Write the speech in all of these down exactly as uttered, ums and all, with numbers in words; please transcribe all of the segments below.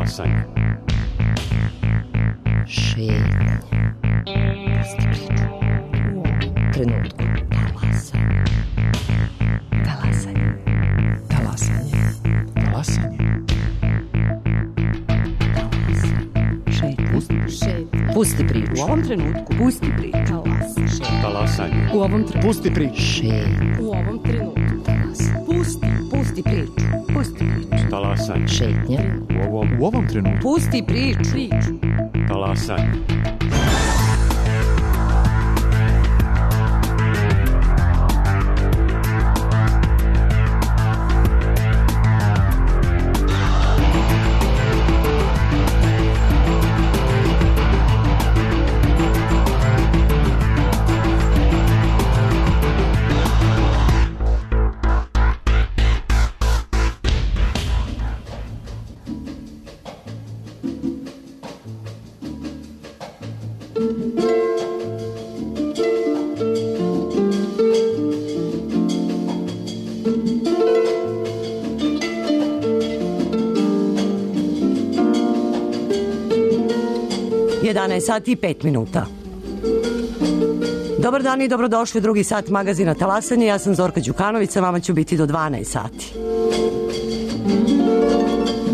Talasanje. Šetnje. Pusti priču. U ovom trenutku. Talasanje. Talasanje. Talasanje. Talasanje. Šetnje. Pusti priču. U ovom trenutku. Pusti priču. Talasanje. U ovom trenutku. Pusti priču. Šetnje. U ovom trenutku. Pusti. Pusti priču. Pusti priču. Talasanje. Šetnje. U ovom, U ovom trenutku. Pusti priču. Priču. talasanje. jedanaest sati i pet minuta. Dobar dan i dobrodošli u drugi sat magazina Talasanje. Ja sam Zorka Đukanović, sa vama ću biti do dvanaest sati.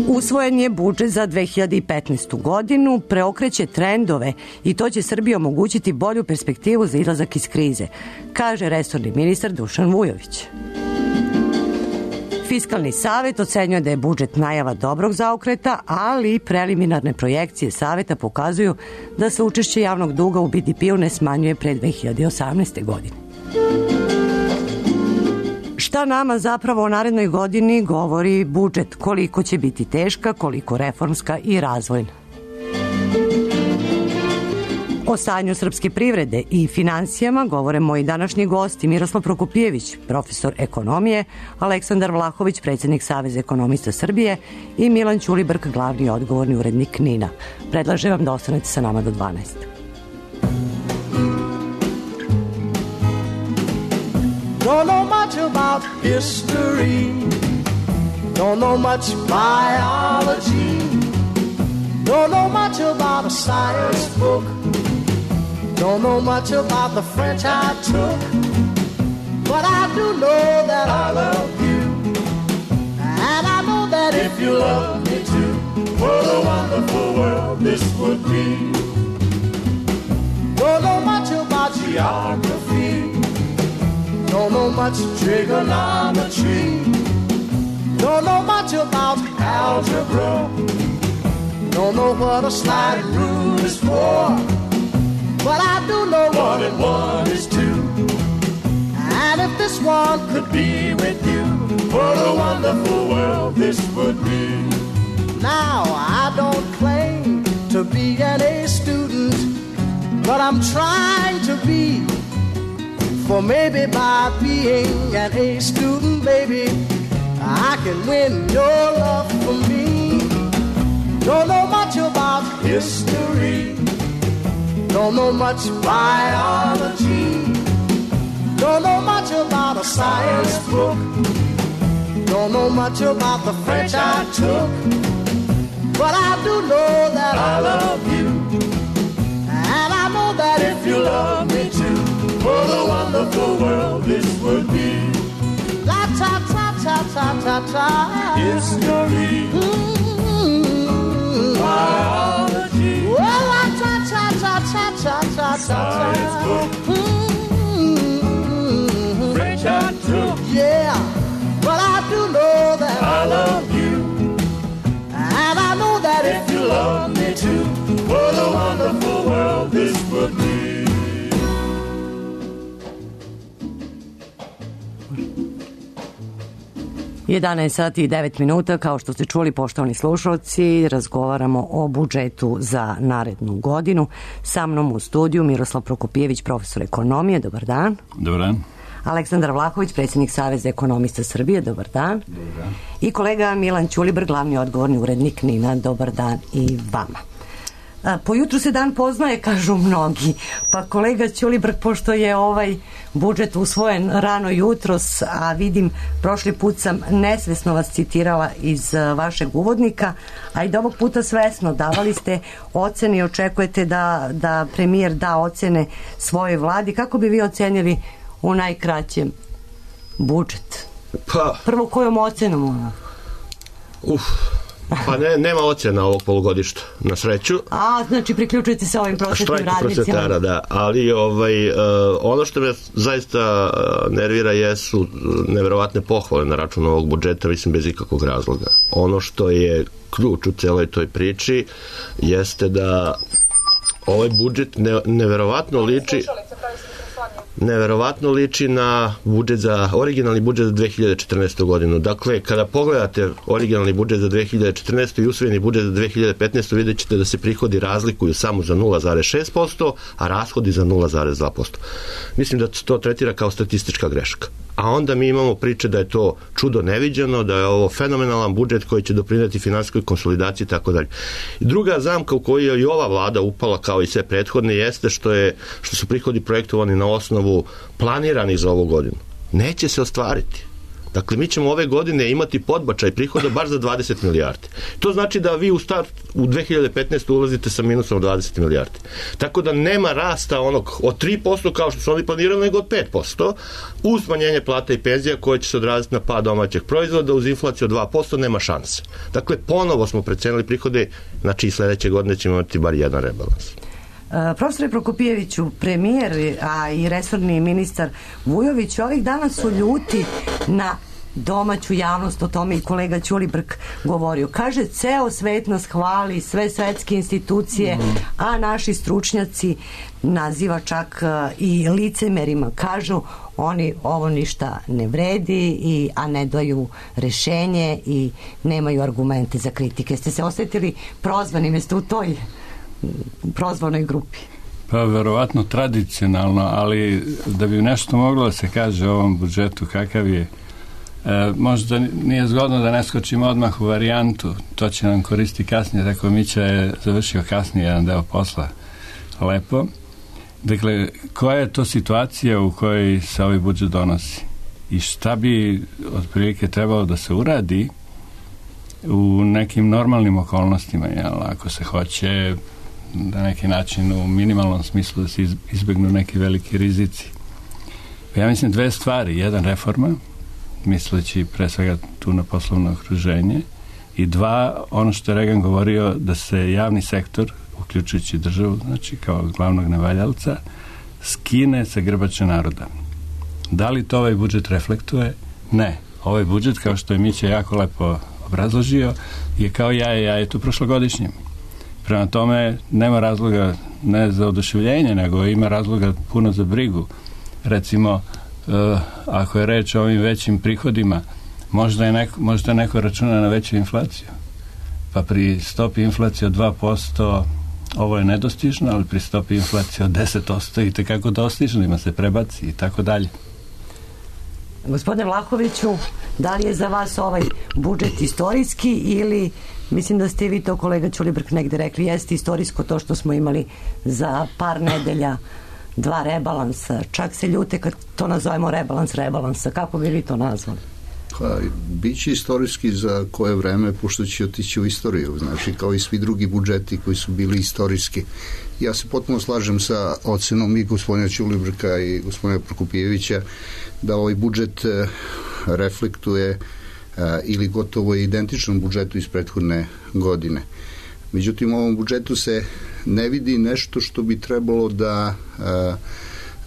Usvojen je budžet za dve hiljade petnaestu. godinu, preokreće trendove i to će Srbiji omogućiti bolju perspektivu za izlazak iz krize, kaže resorni ministar Dušan Vujović. Fiskalni savet ocenjuje da je budžet najava dobrog zaokreta, ali preliminarne projekcije saveta pokazuju da se učešće javnog duga u B D P-u ne smanjuje pre dve hiljade osamnaeste. godine. Šta nama zapravo o narednoj godini govori budžet? Koliko će biti teška, koliko reformska i razvojna? O stanju srpske privrede i finansijama govore moji današnji gosti Miroslav Prokopijević, profesor ekonomije, Aleksandar Vlahović, predsjednik Saveza ekonomista Srbije i Milan Ćulibrk, glavni i odgovorni urednik NIN-a. Predlažem vam da ostanete sa nama do dvanaest. Don't know much about history, don't know much biology, don't know much about a science book, don't know much about the French I took, but I do know that I love you, and I know that if you love me too, what a wonderful world this would be. Don't know much about geography, don't know much trigonometry, don't know much about algebra, don't know what a slide rule is for, but I do know one and one is two. And if this one could be with you, what a wonderful world this would be. Now I don't claim to be an A student, but I'm trying to be. For maybe by being an A student, baby, I can win your love for me. Don't know much about history, don't know much biology, don't know much about a science book, don't know much about the French I took, but I do know that I love you, and I know that if you love me too, what a wonderful world this would be. La ta ta ta ta ta ta. History, mm-hmm. Biology, well, la ta ta ta ta ta ta ta. Science book, mm-hmm. French I took, yeah, but I do know that I love you, and I know that if you love me too, what a wonderful world this would be. jedanaest sati i devet minuta, kao što ste čuli, poštovani slušalci, razgovaramo o budžetu za narednu godinu. Sa mnom u studiju Miroslav Prokopijević, profesor ekonomije, dobar dan. Dobar dan. Aleksandar Vlahović, predsjednik Saveza ekonomista Srbije, dobar dan. Dobar dan. I kolega Milan Ćulibrk, glavni odgovorni urednik NIN-a, dobar dan i vama. Po jutru se dan poznaje, kažu mnogi. Pa kolega Ćulibrk, pošto je ovaj budžet usvojen rano jutros, a vidim, prošli put sam nesvesno vas citirala iz vašeg uvodnika, a i da ovog puta svesno davali ste ocene i očekujete da, da premijer da ocene svojoj vladi. Kako bi vi ocenili u najkraćem budžet? Pa, prvo kojom ocenom ona? Uf, pa ne, nema ocena ovog polugodišta, na sreću. A, znači priključujete se ovim prosvetnim radnicima. Štrajk prosvetara, da, ali ovaj, uh, ono što me zaista nervira jesu neverovatne pohvale na račun ovog budžeta, mislim bez ikakvog razloga. Ono što je ključ u celoj toj priči jeste da ovaj budžet ne, neverovatno liči neverovatno liči na budžet za, originalni budžet za dve hiljade četrnaestu godinu. Dakle, kada pogledate originalni budžet za dve hiljade četrnaestu i usvojeni budžet za dve hiljade petnaestu vidjet ćete da se prihodi razlikuju samo za nula zarez šest posto, a rashodi za nula zarez dva posto. Mislim da to tretira kao statistička greška. A onda mi imamo priče da je to čudo neviđeno, da je ovo fenomenalan budžet koji će doprineti finansijskoj konsolidaciji i tako dalje. Druga zamka u kojoj je i ova vlada upala kao i sve prethodne jeste što je što su prihodi projektovani na osnovu planiranih za ovu godinu. Neće se ostvariti. Dakle, mi ćemo ove godine imati podbačaj prihoda baš za dvadeset milijardi. To znači da vi u start u dve hiljade petnaestu ulazite sa minusom od dvadeset milijardi. Tako da nema rasta onog od tri posto kao što su oni planirali, nego od pet posto, uz smanjenje plata i penzija koje će se odraziti na pad domaćeg proizvoda, uz inflaciju od dva posto nema šanse. Dakle, ponovo smo precenili prihode, znači i sledeće godine ćemo imati bar jedan rebalans. Profesore Prokopijeviću, premijer, a i resorni ministar Vujović ovih dana su ljuti na domaću javnost, o tome i kolega Ćulibrk govorio. Kaže, ceo svet nas hvali, sve svetske institucije, a naši stručnjaci naziva čak i licemerima. Kažu, oni ovo ništa ne vredi, i, a ne daju rešenje i nemaju argumente za kritike. Ste se osjetili prozvanim, jeste u toj prozvanoj grupi? Pa verovatno tradicionalno, ali da bi nešto moglo da se kaže o ovom budžetu kakav je, e, možda nije zgodno da ne skočimo odmah u varijantu, to će nam koristi kasnije, tako Mića je završio kasnije jedan deo posla lepo. Dakle, koja je to situacija u kojoj se ovaj budžet donosi i šta bi otprilike trebalo da se uradi u nekim normalnim okolnostima, jel, ako se hoće na neki način u minimalnom smislu da se izbegnu neki veliki rizici. Ja mislim dve stvari. Jedan, reforma, misleći pre svega tu na poslovno okruženje, i dva, ono što je Reagan govorio, da se javni sektor, uključujući državu, znači kao glavnog nevaljalca, skine sa grbače naroda. Da li to ovaj budžet reflektuje? Ne. Ovaj budžet, kao što je Mića jako lepo obrazložio, je kao jaje jajetu prošlogodišnjem. Prema tome, nema razloga ne za oduševljenje, nego ima razloga puno za brigu. Recimo, uh, ako je reč o ovim većim prihodima, možda je neko, možda neko računa na veću inflaciju. Pa pri stopi inflacije od dva posto ovo je nedostižno, ali pri stopi inflacije od deset posto i tekako dostižno, ima se prebaci i tako dalje. Gospodine Vlahoviću, da li je za vas ovaj budžet istorijski, ili mislim da ste vi to, kolega Ćulibrk, negde rekli, jeste istorijsko to što smo imali za par nedelja dva rebalansa, čak se ljute kad to nazovemo rebalans rebalansa. Kako bi vi to nazvali? Pa, bit će istorijski za koje vreme, pošto će otići u istoriju, znači kao i svi drugi budžeti koji su bili istorijski. Ja se potpuno slažem sa ocenom i gospodina Ćulibrka i gospodina Prokopijevića da ovaj budžet reflektuje ili gotovo je identičnom budžetu iz prethodne godine. Međutim, u ovom budžetu se ne vidi nešto što bi trebalo da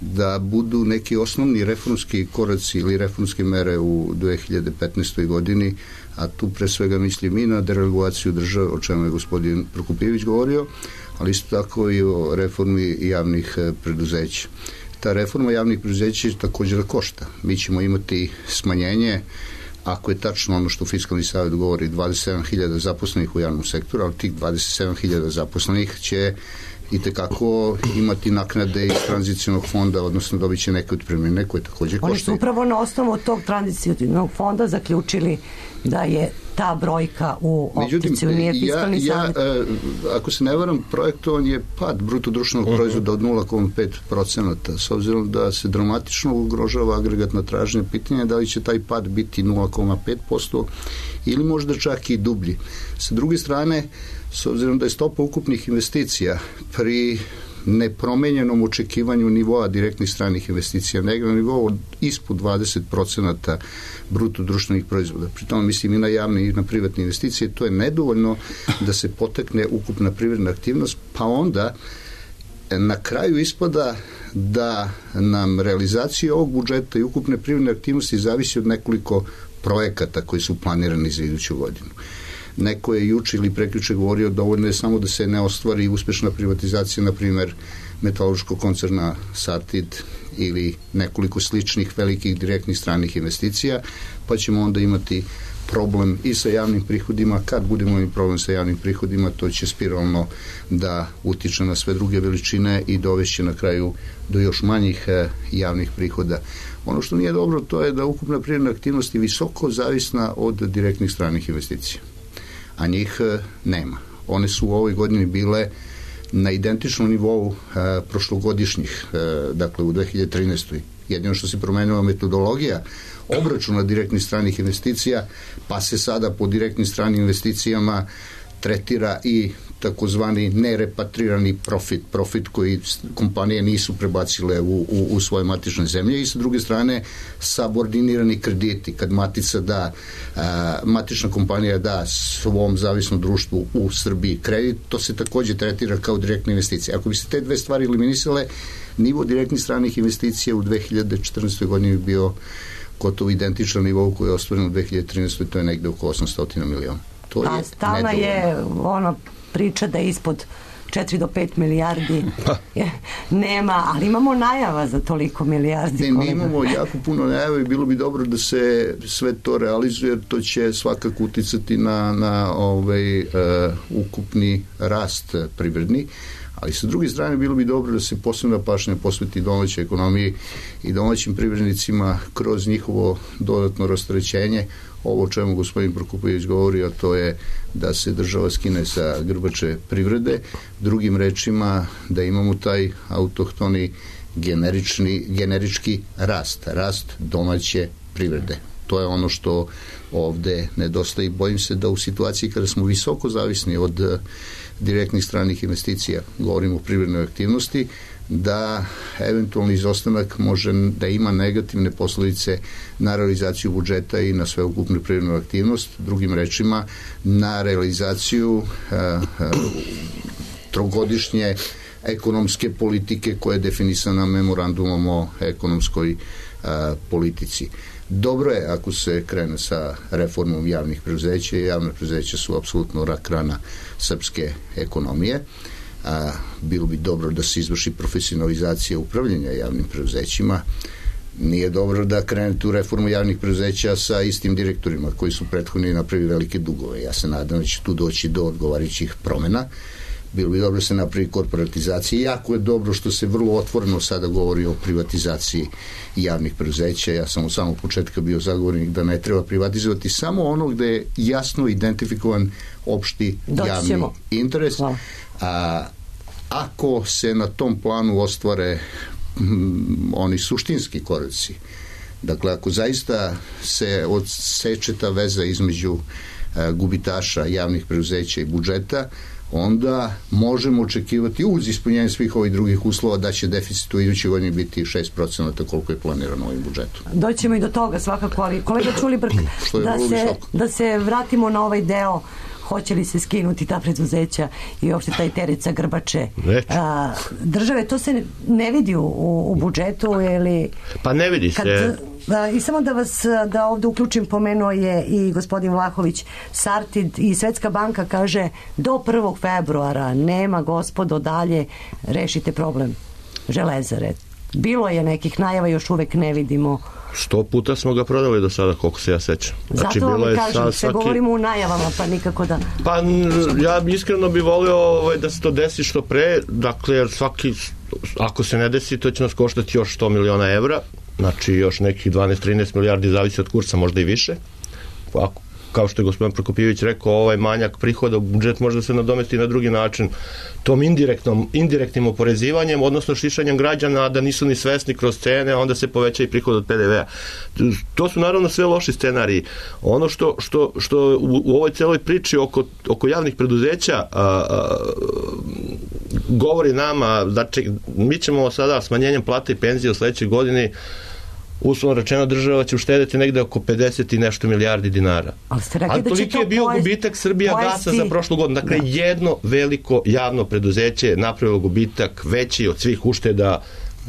da budu neki osnovni reformski koraci ili reformske mere u dve hiljade petnaestoj godini, a tu pre svega mislim i na deregulaciju države, o čemu je gospodin Prokopijević govorio, ali isto tako i o reformi javnih preduzeća. Ta reforma javnih preduzeća je također da košta. Mi ćemo imati smanjenje, ako je tačno ono što Fiskalni savet govori, dvadeset sedam hiljada zaposlenih u javnom sektoru, ali tih dvadeset sedam hiljada zaposlenih će i tekako imati naknade iz tranzicionog fonda, odnosno dobit će neke otpremnine koje također koštaju. Oni su upravo na osnovu tog tranzicionog fonda zaključili da je ta brojka u opticiju, nije fiskalni ja, savjet. Ja, ako se ne varam, projektovan je pad bruto društvenog uh-huh. proizvoda od nula zarez pet procenata. S obzirom da se dramatično ugrožava agregatna tražnja, pitanje je da li će taj pad biti nula zarez pet posto ili možda čak i dublji. Sa druge strane, s obzirom da je stopa ukupnih investicija pri nepromenjenom očekivanju nivoa direktnih stranih investicija negdje na nivou ispod dvadeset procenata bruto društvenih proizvoda. Pri tome mislim i na javne i na privatne investicije. To je nedovoljno da se potakne ukupna privredna aktivnost, pa onda na kraju ispada da nam realizacija ovog budžeta i ukupne privredne aktivnosti zavisi od nekoliko projekata koji su planirani za iduću godinu. Neko je juče ili prekjuče govorio dovoljno je samo da se ne ostvari uspešna privatizacija, na primjer metalurškog koncerna Sartid ili nekoliko sličnih velikih direktnih stranih investicija, pa ćemo onda imati problem i sa javnim prihodima. Kad budemo imali problem sa javnim prihodima, to će spiralno da utiče na sve druge veličine i dovešće na kraju do još manjih eh, javnih prihoda. Ono što nije dobro, to je da ukupna privredna aktivnost je visoko zavisna od direktnih stranih investicija, a njih eh, nema. One su u ovoj godini bile na identičnom nivou eh, prošlogodišnjih, eh, dakle u dve hiljade trinaestoj. Jedino što se promenila metodologija obračuna direktnih stranih investicija, pa se sada po direktnim stranim investicijama tretira i takozvani nerepatrirani profit, profit koji kompanije nisu prebacile u, u, u svoje matične zemlje, i sa druge strane subordinirani krediti, kad matica da, a, matična kompanija da svom zavisnom društvu u Srbiji kredit, to se takođe tretira kao direktne investicije. Ako bi se te dve stvari eliminisale, nivo direktnih stranih investicija u dve hiljade četrnaestoj godini bi bio gotovo identičan nivou koji je ostvaren u dve hiljade trinaestoj. To je negde oko osamsto miliona. To pa je stalna je ono priča da je ispod četiri do pet milijardi nema, ali imamo najava za toliko milijardi. Ne, mi imamo jako puno najava i bilo bi dobro da se sve to realizuje, jer to će svakako uticati na, na ovaj, uh, ukupni rast privredni. Ali sa druge strane bilo bi dobro da se posebna pažnja posveti domaćoj ekonomiji i domaćim privrednicima kroz njihovo dodatno rasterećenje. Ovo o čemu gospodin Prokupović govori, a to je da se država skine sa grbače privrede, drugim rečima da imamo taj autohtoni generični, generički rast, rast domaće privrede. To je ono što ovde nedostaje i bojim se da u situaciji kada smo visoko zavisni od direktnih stranih investicija, govorimo o privrednoj aktivnosti, da eventualni izostanak može da ima negativne posledice na realizaciju budžeta i na sveukupnu privrednu aktivnost, drugim rečima na realizaciju uh, uh, trogodišnje ekonomske politike koja je definisana memorandumom o ekonomskoj uh, politici. Dobro je ako se krene sa reformom javnih preduzeća, i javne preduzeća su apsolutno rak rana srpske ekonomije. A, bilo bi dobro da se izvrši profesionalizacija upravljanja javnim preduzećima. Nije dobro da krene tu reformu javnih preduzeća sa istim direktorima koji su prethodni napravili velike dugove. Ja se nadam da će tu doći do odgovarajućih promena. Bilo bi dobro da se napravi korporatizacija. Jako je dobro što se vrlo otvoreno sada govori o privatizaciji javnih preduzeća. Ja sam u samog početka bio zagovornik da ne treba privatizovati samo ono gde je jasno identifikovan opšti javni interes. A ako se na tom planu ostvare m, oni suštinski koraci, dakle ako zaista se odseče ta veza između a, gubitaša javnih preduzeća i budžeta, onda možemo očekivati uz ispunjenje svih ovih drugih uslova da će deficit u idućoj godini biti šest procenata koliko je planirano ovim budžetom. Doćemo i do toga svakako, ali kolega Ćulibrk, da, se, da se vratimo na ovaj deo, hoće li se skinuti ta preduzeća i uopšte taj teret sa grbače a, države, to se ne vidi u, u budžetu ili... Pa ne vidi kad, se... A, i samo da vas da ovde uključim, pomenuo je i gospodin Vlahović Sartid i Svetska banka kaže do prvog februara nema gospodo dalje, rešite problem Železare. Bilo je nekih najava, još uvek ne vidimo. Sto puta smo ga prodali do sada, koliko se ja sećam. Znači, zato vam kažem, sa, sve svaki... govorimo u najavama, pa nikako da... Pa ja iskreno bih volio ovaj, da se to desi što pre, dakle, jer svaki, ako se ne desi, to će nas koštati još sto miliona evra, znači još nekih dvanaest trinaest milijardi, zavisi od kursa, možda i više. Ako, kao što je gospodin Prokopijević rekao, ovaj manjak prihoda u budžet može da se nadomesti na drugi način, tom indirektnom, indirektnim oporezivanjem, odnosno šišanjem građana, da nisu ni svesni kroz cene, onda se poveća i prihod od P D V-a. To su naravno sve loši scenariji. Ono što, što, što u, u ovoj celoj priči oko, oko javnih preduzeća a, a, govori nama, znači, mi ćemo sada smanjenjem plata i penzije u sledećoj godini, uslovno rečeno, država će uštedeti negde oko pedeset i nešto milijardi dinara. Ali, Ali toliki je bio pojesti, gubitak Srbija gasa za prošlu godinu. Dakle, da. jedno veliko javno preduzeće je napravilo gubitak veći od svih ušteda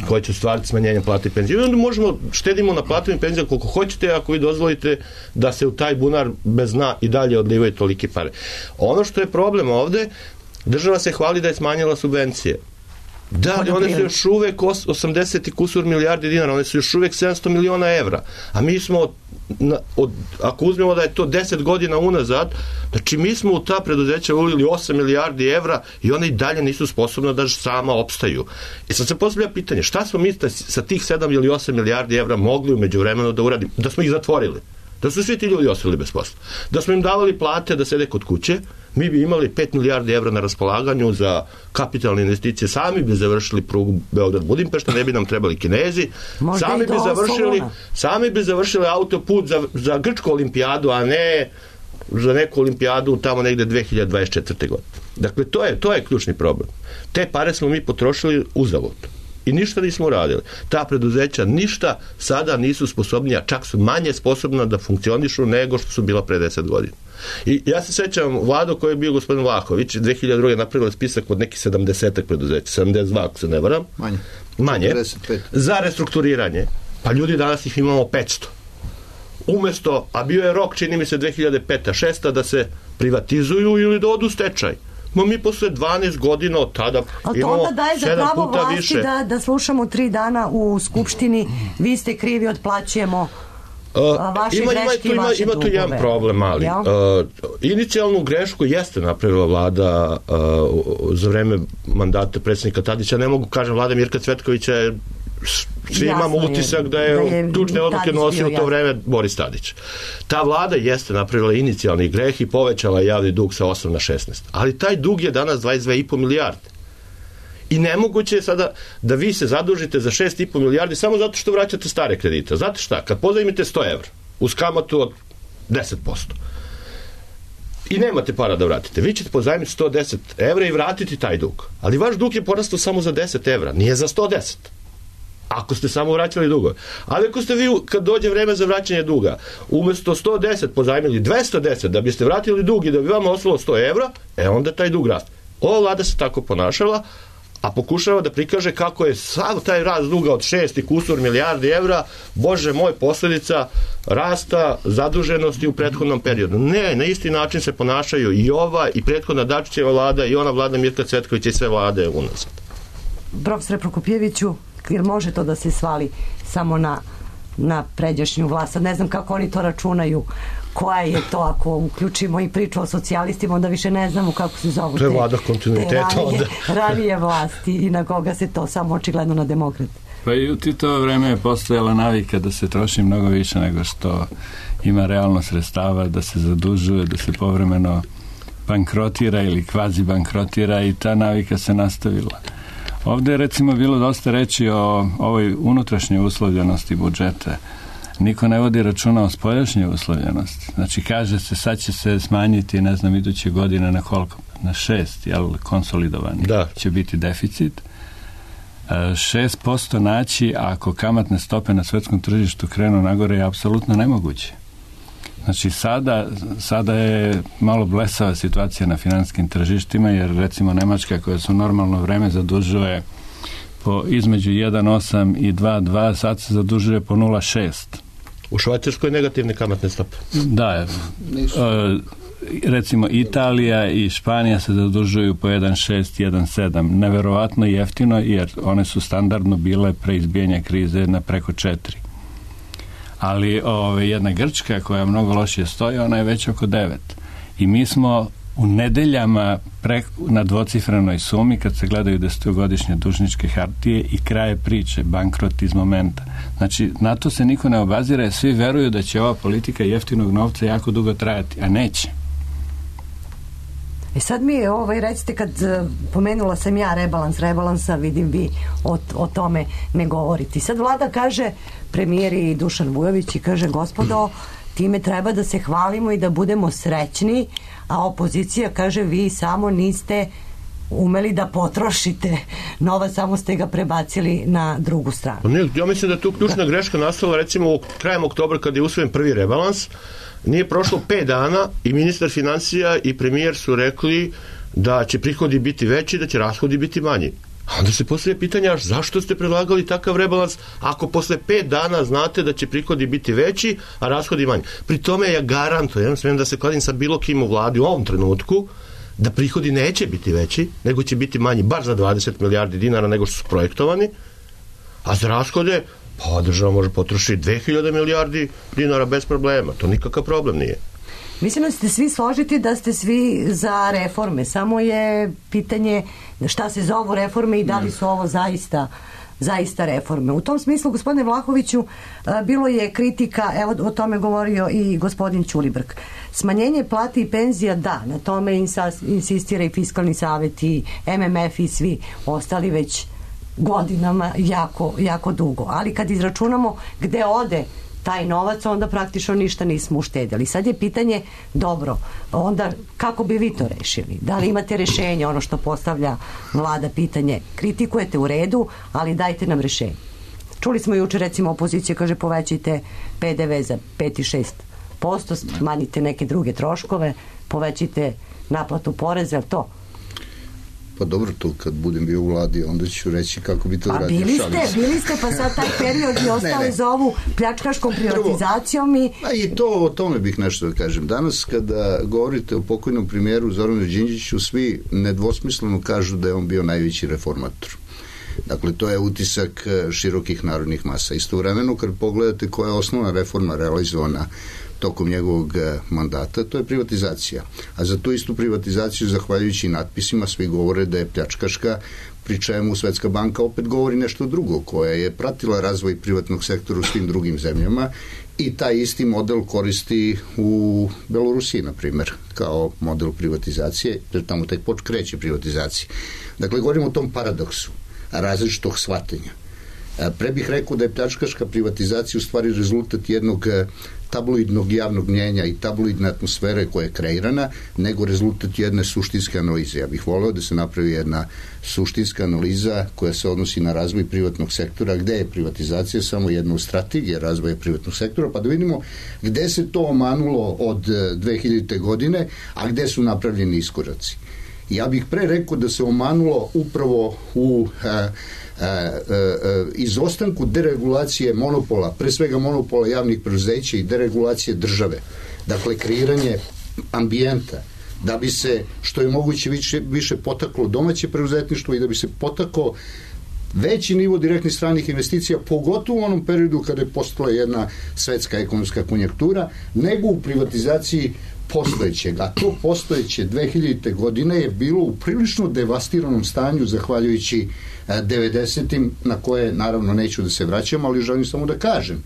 koje će stvariti smanjenjem plata i penzije. I onda možemo, štedimo na platu i penzije koliko hoćete, ako vi dozvolite da se u taj bunar bez dna i dalje odlivaju tolike pare. Ono što je problem ovde, država se hvali da je smanjila subvencije. Da, ali one su još uvek osamdeset i kusur milijardi dinara, one su još uvek sedamsto miliona evra. A mi smo, na, od, ako uzmemo da je to deset godina unazad, znači mi smo u ta preduzeća ulili osam milijardi evra i one i dalje nisu sposobne da sama opstaju. I sad se postavlja pitanje, šta smo mi sa tih sedam ili osam milijardi evra mogli umeđu vremenu da uradimo? Da smo ih zatvorili. Da su svi ti ljudi ostali bez posla. Da smo im davali plate da sede kod kuće, mi bi imali pet milijardi evra na raspolaganju za kapitalne investicije, sami bi završili prugu Beograd-Budimpešta, ne bi nam trebali Kinezi, Možda sami bi završili sami bi završili autoput za, za grčku olimpijadu, a ne za neku olimpijadu tamo negde dve hiljade dvadeset četvrte. godine. Dakle, to je, to je ključni problem. Te pare smo mi potrošili uzalud. I ništa nismo uradili. Ta preduzeća ništa sada nisu sposobnija, čak su manje sposobna da funkcionišu nego što su bila pre deset godina. I ja se sećam vladu koji je bio gospodin Vlahović, dve hiljade druge. napravila spisak od nekih sedamdeset preduzeća, sedamdeset dva ako se ne varam. Manje. Manje. četrdeset pet. Za restrukturiranje. Pa ljudi danas ih imamo petsto. Umesto, a bio je rok, čini mi se, dve hiljade peta šesta da se privatizuju ili da odu u stečaj. Ma mi posle dvanaest godina od tada ali imamo onda daje za pravo vlasti više. Da, da slušamo tri dana u Skupštini, vi ste krivi, otplaćujemo uh, vaše ima, greške i vaše ima, ima tu jedan problem, ali ja? uh, inicijalnu grešku jeste napravila vlada uh, za vreme mandata predsjednika Tadića. Ne mogu kažem, vlada Mirka Cvetkovića je, svi jasno imamo utisak da je, da je ključne odluke nosio u to vreme Boris Tadić. Ta vlada jeste napravila inicijalni greh i povećala javni dug sa osam na šesnaest. Ali taj dug je danas dvadeset dve i po milijarde. I nemoguće je sada da vi se zadužite za šest i po milijardi samo zato što vraćate stare kredite. Znate šta? Kad pozajmite sto evra uz kamatu od deset posto i nemate para da vratite, vi ćete pozajmiti sto deset evra i vratiti taj dug. Ali vaš dug je porastao samo za deset evra, nije za sto deset. Ako ste samo vraćali dugove. Ali ako ste vi, kad dođe vreme za vraćanje duga, umesto sto deset pozajmili dvesta deset da biste vratili dug i da bi vama ostalo sto evra, e onda taj dug raste. Ova vlada se tako ponašala, a pokušava da prikaže kako je sav taj rast duga od šest i kusur milijardi evra, bože moj, posledica rasta zaduženosti u prethodnom periodu. Ne, na isti način se ponašaju i ova i prethodna Dačićeva vlada i ona vlada Mirka Cvetkovića i sve vlade unazad. Profesore Prokopijeviću, jer može to da se svali samo na, na pređašnju vlast. Sad ne znam kako oni to računaju, koja je to, ako uključimo i priču o socijalistima, onda više ne znamo kako se zovu to je vlada kontinuiteta te ranije, onda. ranije vlasti i na koga se to, samo očigledno na demokrate. Pa i u Titovo vreme je postojala navika da se troši mnogo više nego što ima realno sredstava, da se zadužuje, da se povremeno bankrotira ili kvazi bankrotira i ta navika se nastavila. Ovde je recimo bilo dosta reći o ovoj unutrašnjoj uslovljenosti budžeta. Niko ne vodi računa o spoljašnjoj uslovljenosti. Znači kaže se sad će se smanjiti, ne znam, iduće godine na koliko? Na šest, jel, konsolidovani da. Će biti deficit. šest posto naći ako kamatne stope na svetskom tržištu krenu nagore je apsolutno nemoguće. Znači sada, sada je malo blesava situacija na finanskim tržištima, jer recimo Nemačka koja su normalno vreme zadužuje po između jedan zarez osam i dva zarez dva, sad se zadužuje po nula zarez šest. U Švajcarskoj negativne kamatne stope. Da, recimo Italija i Španija se zadužuju po jedan zarez šest, jedan zarez sedam. Neverovatno jeftino, jer one su standardno bile pre izbijanja krize na preko četiri. Ali ove, jedna Grčka koja mnogo lošije stoji, ona je već oko devet. I mi smo u nedeljama pre, na dvocifrenoj sumi kad se gledaju desetogodišnje dužničke hartije i kraje priče, bankrot iz momenta. Znači, na to se niko ne obazira, svi veruju da će ova politika jeftinog novca jako dugo trajati, a neće. E sad mi ovaj, recite, kad pomenula sam ja rebalans rebalansa, vidim vi o, o tome ne govoriti. Sad vlada kaže, premijer i Dušan Vujović, i kaže, gospodo, time treba da se hvalimo i da budemo srećni, a opozicija kaže, vi samo niste umeli da potrošite novac, samo ste ga prebacili na drugu stranu. Ne, ja mislim da je tu ključna greška nastala, recimo krajem oktobra kad je usvojen prvi rebalans, nije prošlo pet dana i ministar financija i premijer su rekli da će prihodi biti veći, da će rashodi biti manji. A onda se postavlja pitanja, zašto ste predlagali takav rebalans ako posle pet dana znate da će prihodi biti veći, a rashodi manji. Pri tome ja garantujem, smijem da se kladim sa bilo kim u vladi u ovom trenutku, da prihodi neće biti veći, nego će biti manji bar za dvadeset milijardi dinara nego što su projektovani, a za rashode pa država može potrošiti dve hiljade milijardi dinara bez problema. To nikakav problem nije. Mislim da ste svi složiti da ste svi za reforme. Samo je pitanje šta se zovu reforme i da li su ovo zaista zaista reforme. U tom smislu, gospodine Vlahoviću, bilo je kritika, evo o tome govorio i gospodin Ćulibrk. Smanjenje plati i penzija, da, na tome insistira i Fiskalni savet i M M F i svi ostali već godinama jako, jako dugo. Ali kad izračunamo gde ode taj novac, onda praktično ništa nismo uštedili. Sad je pitanje, dobro, onda kako bi vi to rešili? Da li imate rešenje, ono što postavlja vlada pitanje? Kritikujete u redu, ali dajte nam rešenje. Čuli smo juče, recimo, opozicija kaže povećajte P D V za pet i šest posto, smanjite neke druge troškove, povećajte naplatu poreza, je li to? Pa dobro, to kad budem bio u vladi, onda ću reći kako bi to uradio. A bili ste, bili ste, pa sad taj period i ostale zovu pljačkaškom privatizacijom i... A i to, o tome bih nešto da kažem. Danas kada govorite o pokojnom premijeru Zoranu Đinđiću, svi nedvosmisleno kažu da je on bio najveći reformator. Dakle, to je utisak širokih narodnih masa. Istovremeno, kad pogledate koja je osnovna reforma realizovana tokom njegovog mandata, to je privatizacija. A za tu istu privatizaciju, zahvaljujući natpisima, svi govore da je pljačkaška, pri čemu Svetska banka opet govori nešto drugo, koja je pratila razvoj privatnog sektora u svim drugim zemljama i taj isti model koristi u Belorusiji, na primjer, kao model privatizacije, jer tamo tek poč kreće privatizacija. Dakle, govorimo o tom paradoksu različitog shvatanja. Pre bih rekao da je pljačkaška privatizacija u stvari rezultat jednog tabloidnog javnog mnjenja i tabloidne atmosfere koja je kreirana, nego rezultat jedne suštinske analize. Ja bih voleo da se napravi jedna suštinska analiza koja se odnosi na razvoj privatnog sektora, gde je privatizacija samo jedna strategija razvoja privatnog sektora, pa da vidimo gde se to omanulo od dve hiljadite godine, a gde su napravljeni iskoraci. Ja bih pre rekao da se omanulo upravo u a, a, a, a, izostanku deregulacije monopola, pre svega monopola javnih preduzeća i deregulacije države. Dakle, kreiranje ambijenta da bi se što je moguće više, više potaklo domaće preduzetništvo i da bi se potaklo veći nivo direktnih stranih investicija, pogotovo u onom periodu kada je postala jedna svetska ekonomska konjunktura, nego u privatizaciji postojećeg, a to postojeće dve hiljadite godine je bilo u prilično devastiranom stanju zahvaljujući devedesetim, na koje naravno neću da se vraćam, ali želim samo da kažem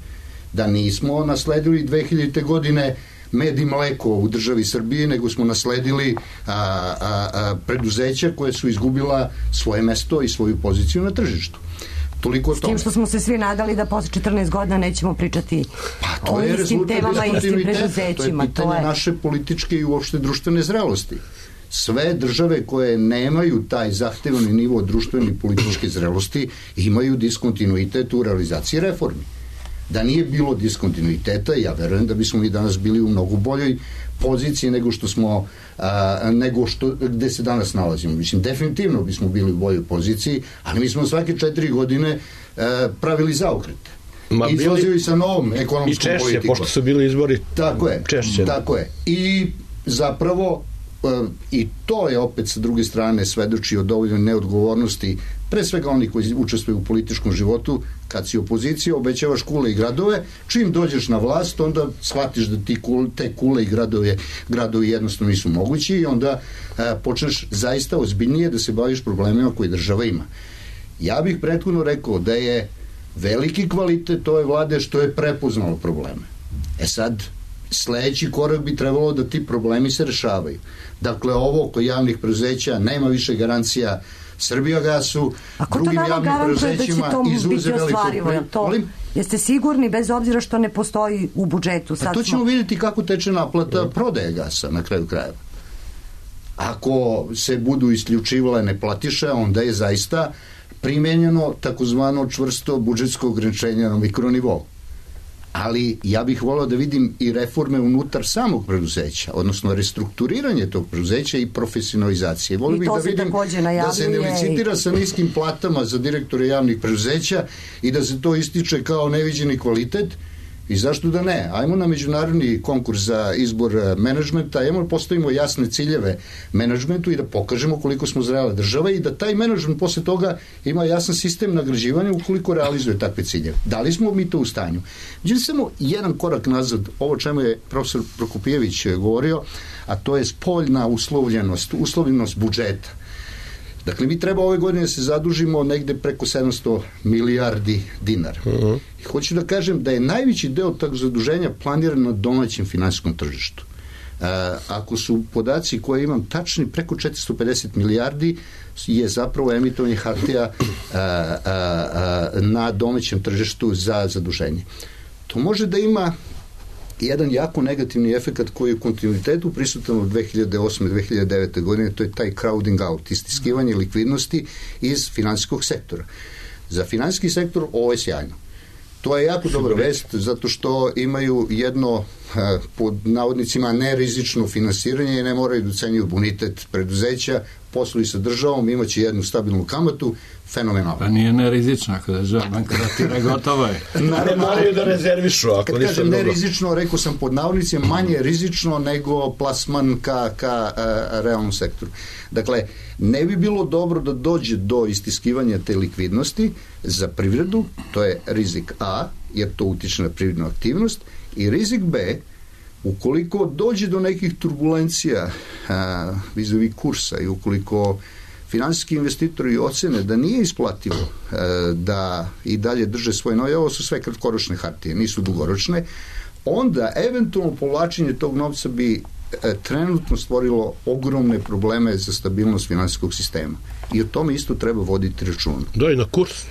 da nismo nasledili dve hiljadite godine med i mleko u državi Srbije, nego smo nasledili a, a, a, preduzeća koje su izgubila svoje mesto i svoju poziciju na tržištu. Toliko s tim što smo se svi nadali da posle četrnaest godina nećemo pričati pa, o istim temama i istim preduzećima. To je pitanje to je... naše političke i uopšte društvene zrelosti. Sve države koje nemaju taj zahtevani nivo društvene i političke zrelosti imaju diskontinuitet u realizaciji reformi. Da nije bilo diskontinuiteta, ja verujem da bismo mi danas bili u mnogo boljoj poziciji nego što smo a, nego što, gde se danas nalazimo. Mislim, definitivno bismo bili u boljoj poziciji, ali mi smo svake četiri godine a, pravili zaokrete. Ma izlazili sa novom ekonomskom politikom. I češće, pošto su bili izbori tako je, češće. Tako je. I zapravo i to je opet sa druge strane svedoči o dovoljnoj neodgovornosti pre svega oni koji učestvuju u političkom životu. Kad si opozicija, obećavaš kule i gradove, čim dođeš na vlast, onda shvatiš da ti kule, te kule i gradove, gradovi jednostavno nisu mogući i onda e, počneš zaista ozbiljnije da se baviš problemima koje država ima. Ja bih prethodno rekao da je veliki kvalitet ove vlade što je prepoznalo probleme. E sad, sledeći korak bi trebalo da ti problemi se rešavaju. Dakle, ovo oko javnih preduzeća nema više garancija Srbijagasu, drugim javnim preduzećima izuzeli to. Jeste sigurni, bez obzira što ne postoji u budžetu? Sad to ćemo smo... vidjeti kako teče naplata prodaje gasa na kraju krajeva. Ako se budu isključivale neplatiše, onda je zaista primenjeno takozvano čvrsto budžetsko ograničenje na mikronivou. Ali ja bih voleo da vidim i reforme unutar samog preduzeća, odnosno restrukturiranje tog preduzeća i profesionalizacije. Voleo bih da vidim da se ne licitira sa niskim platama za direktore javnih preduzeća i da se to ističe kao neviđeni kvalitet. I zašto da ne? Ajmo na međunarodni konkurs za izbor menadžmenta, ajmo da postavimo jasne ciljeve menadžmentu i da pokažemo koliko smo zrela država i da taj menadžment posle toga ima jasan sistem nagrađivanja ukoliko realizuje takve ciljeve. Da li smo mi to u stanju? Međutim, samo jedan korak nazad, ovo čemu je profesor Prokopijević govorio, a to je spoljna uslovljenost, uslovljenost budžeta. Dakle, mi treba ove godine da se zadužimo negde preko sedamsto milijardi dinara. Uh-huh. I hoću da kažem da je najveći deo tog zaduženja planiran na domaćem finansijskom tržištu. E, ako su podaci koje imam tačni, preko četiristo pedeset milijardi je zapravo emitovanje hartija a, a, a, na domaćem tržištu za zaduženje. To može da ima jedan jako negativni efekat koji je u kontinuitetu prisutan od dve hiljade osme do dve hiljade devete godine, to je taj crowding out, istiskivanje likvidnosti iz finansijskog sektora. Za finansijski sektor ovo je sjajno. To je jako dobra vest, zato što imaju jedno, pod navodnicima, nerizično finansiranje i ne moraju da ucenjuju bonitet preduzeća, posluju sa državom, imaće jednu stabilnu kamatu, fenomenalno. Pa nije nerizično, ako država bankratira, gotovo je. Ne moraju da rezervišu, ako kad kažem nerizično, rekao sam pod navodnicima, manje rizično nego plasman ka, ka a, realnom sektoru. Dakle, ne bi bilo dobro da dođe do istiskivanja te likvidnosti za privredu, to je rizik A, jer to utiče na privrednu aktivnost, i rizik B, ukoliko dođe do nekih turbulencija a, vizavi kursa i ukoliko finansijski investitori ocene da nije isplativo a, da i dalje drže svoje noje, ovo su sve kratkoročne hartije, nisu dugoročne, onda eventualno povlačenje tog novca bi a, trenutno stvorilo ogromne probleme za stabilnost finansijskog sistema. I o tome isto treba voditi računa. Da, i na kurs.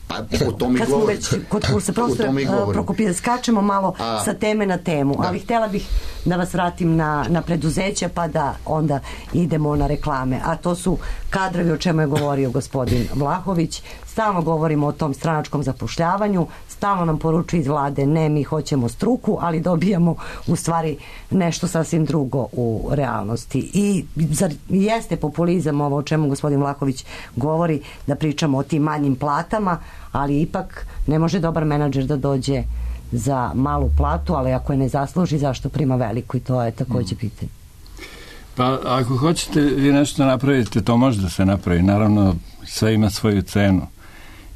Pa, o tome kad smo već kod kursa, profesor Prokopije, skačemo malo A, sa teme na temu, da. Ali htjela bih da vas vratim na, na preduzeća, pa da onda idemo na reklame, a to su kadrovi, o čemu je govorio gospodin Vlahović. Stalno govorimo o tom stranačkom zapošljavanju, stalno nam poručuje iz vlade, ne, mi hoćemo struku, ali dobijamo u stvari nešto sasvim drugo u realnosti. I zar jeste populizam ovo o čemu gospodin Vlahović govori, da pričamo o tim manjim platama, ali ipak ne može dobar menadžer da dođe za malu platu, ali ako je ne zasluži, zašto prima veliku, i to je takođe pitanje. Pa ako hoćete vi nešto napravite, to može da se napravi. Naravno, sve ima svoju cenu.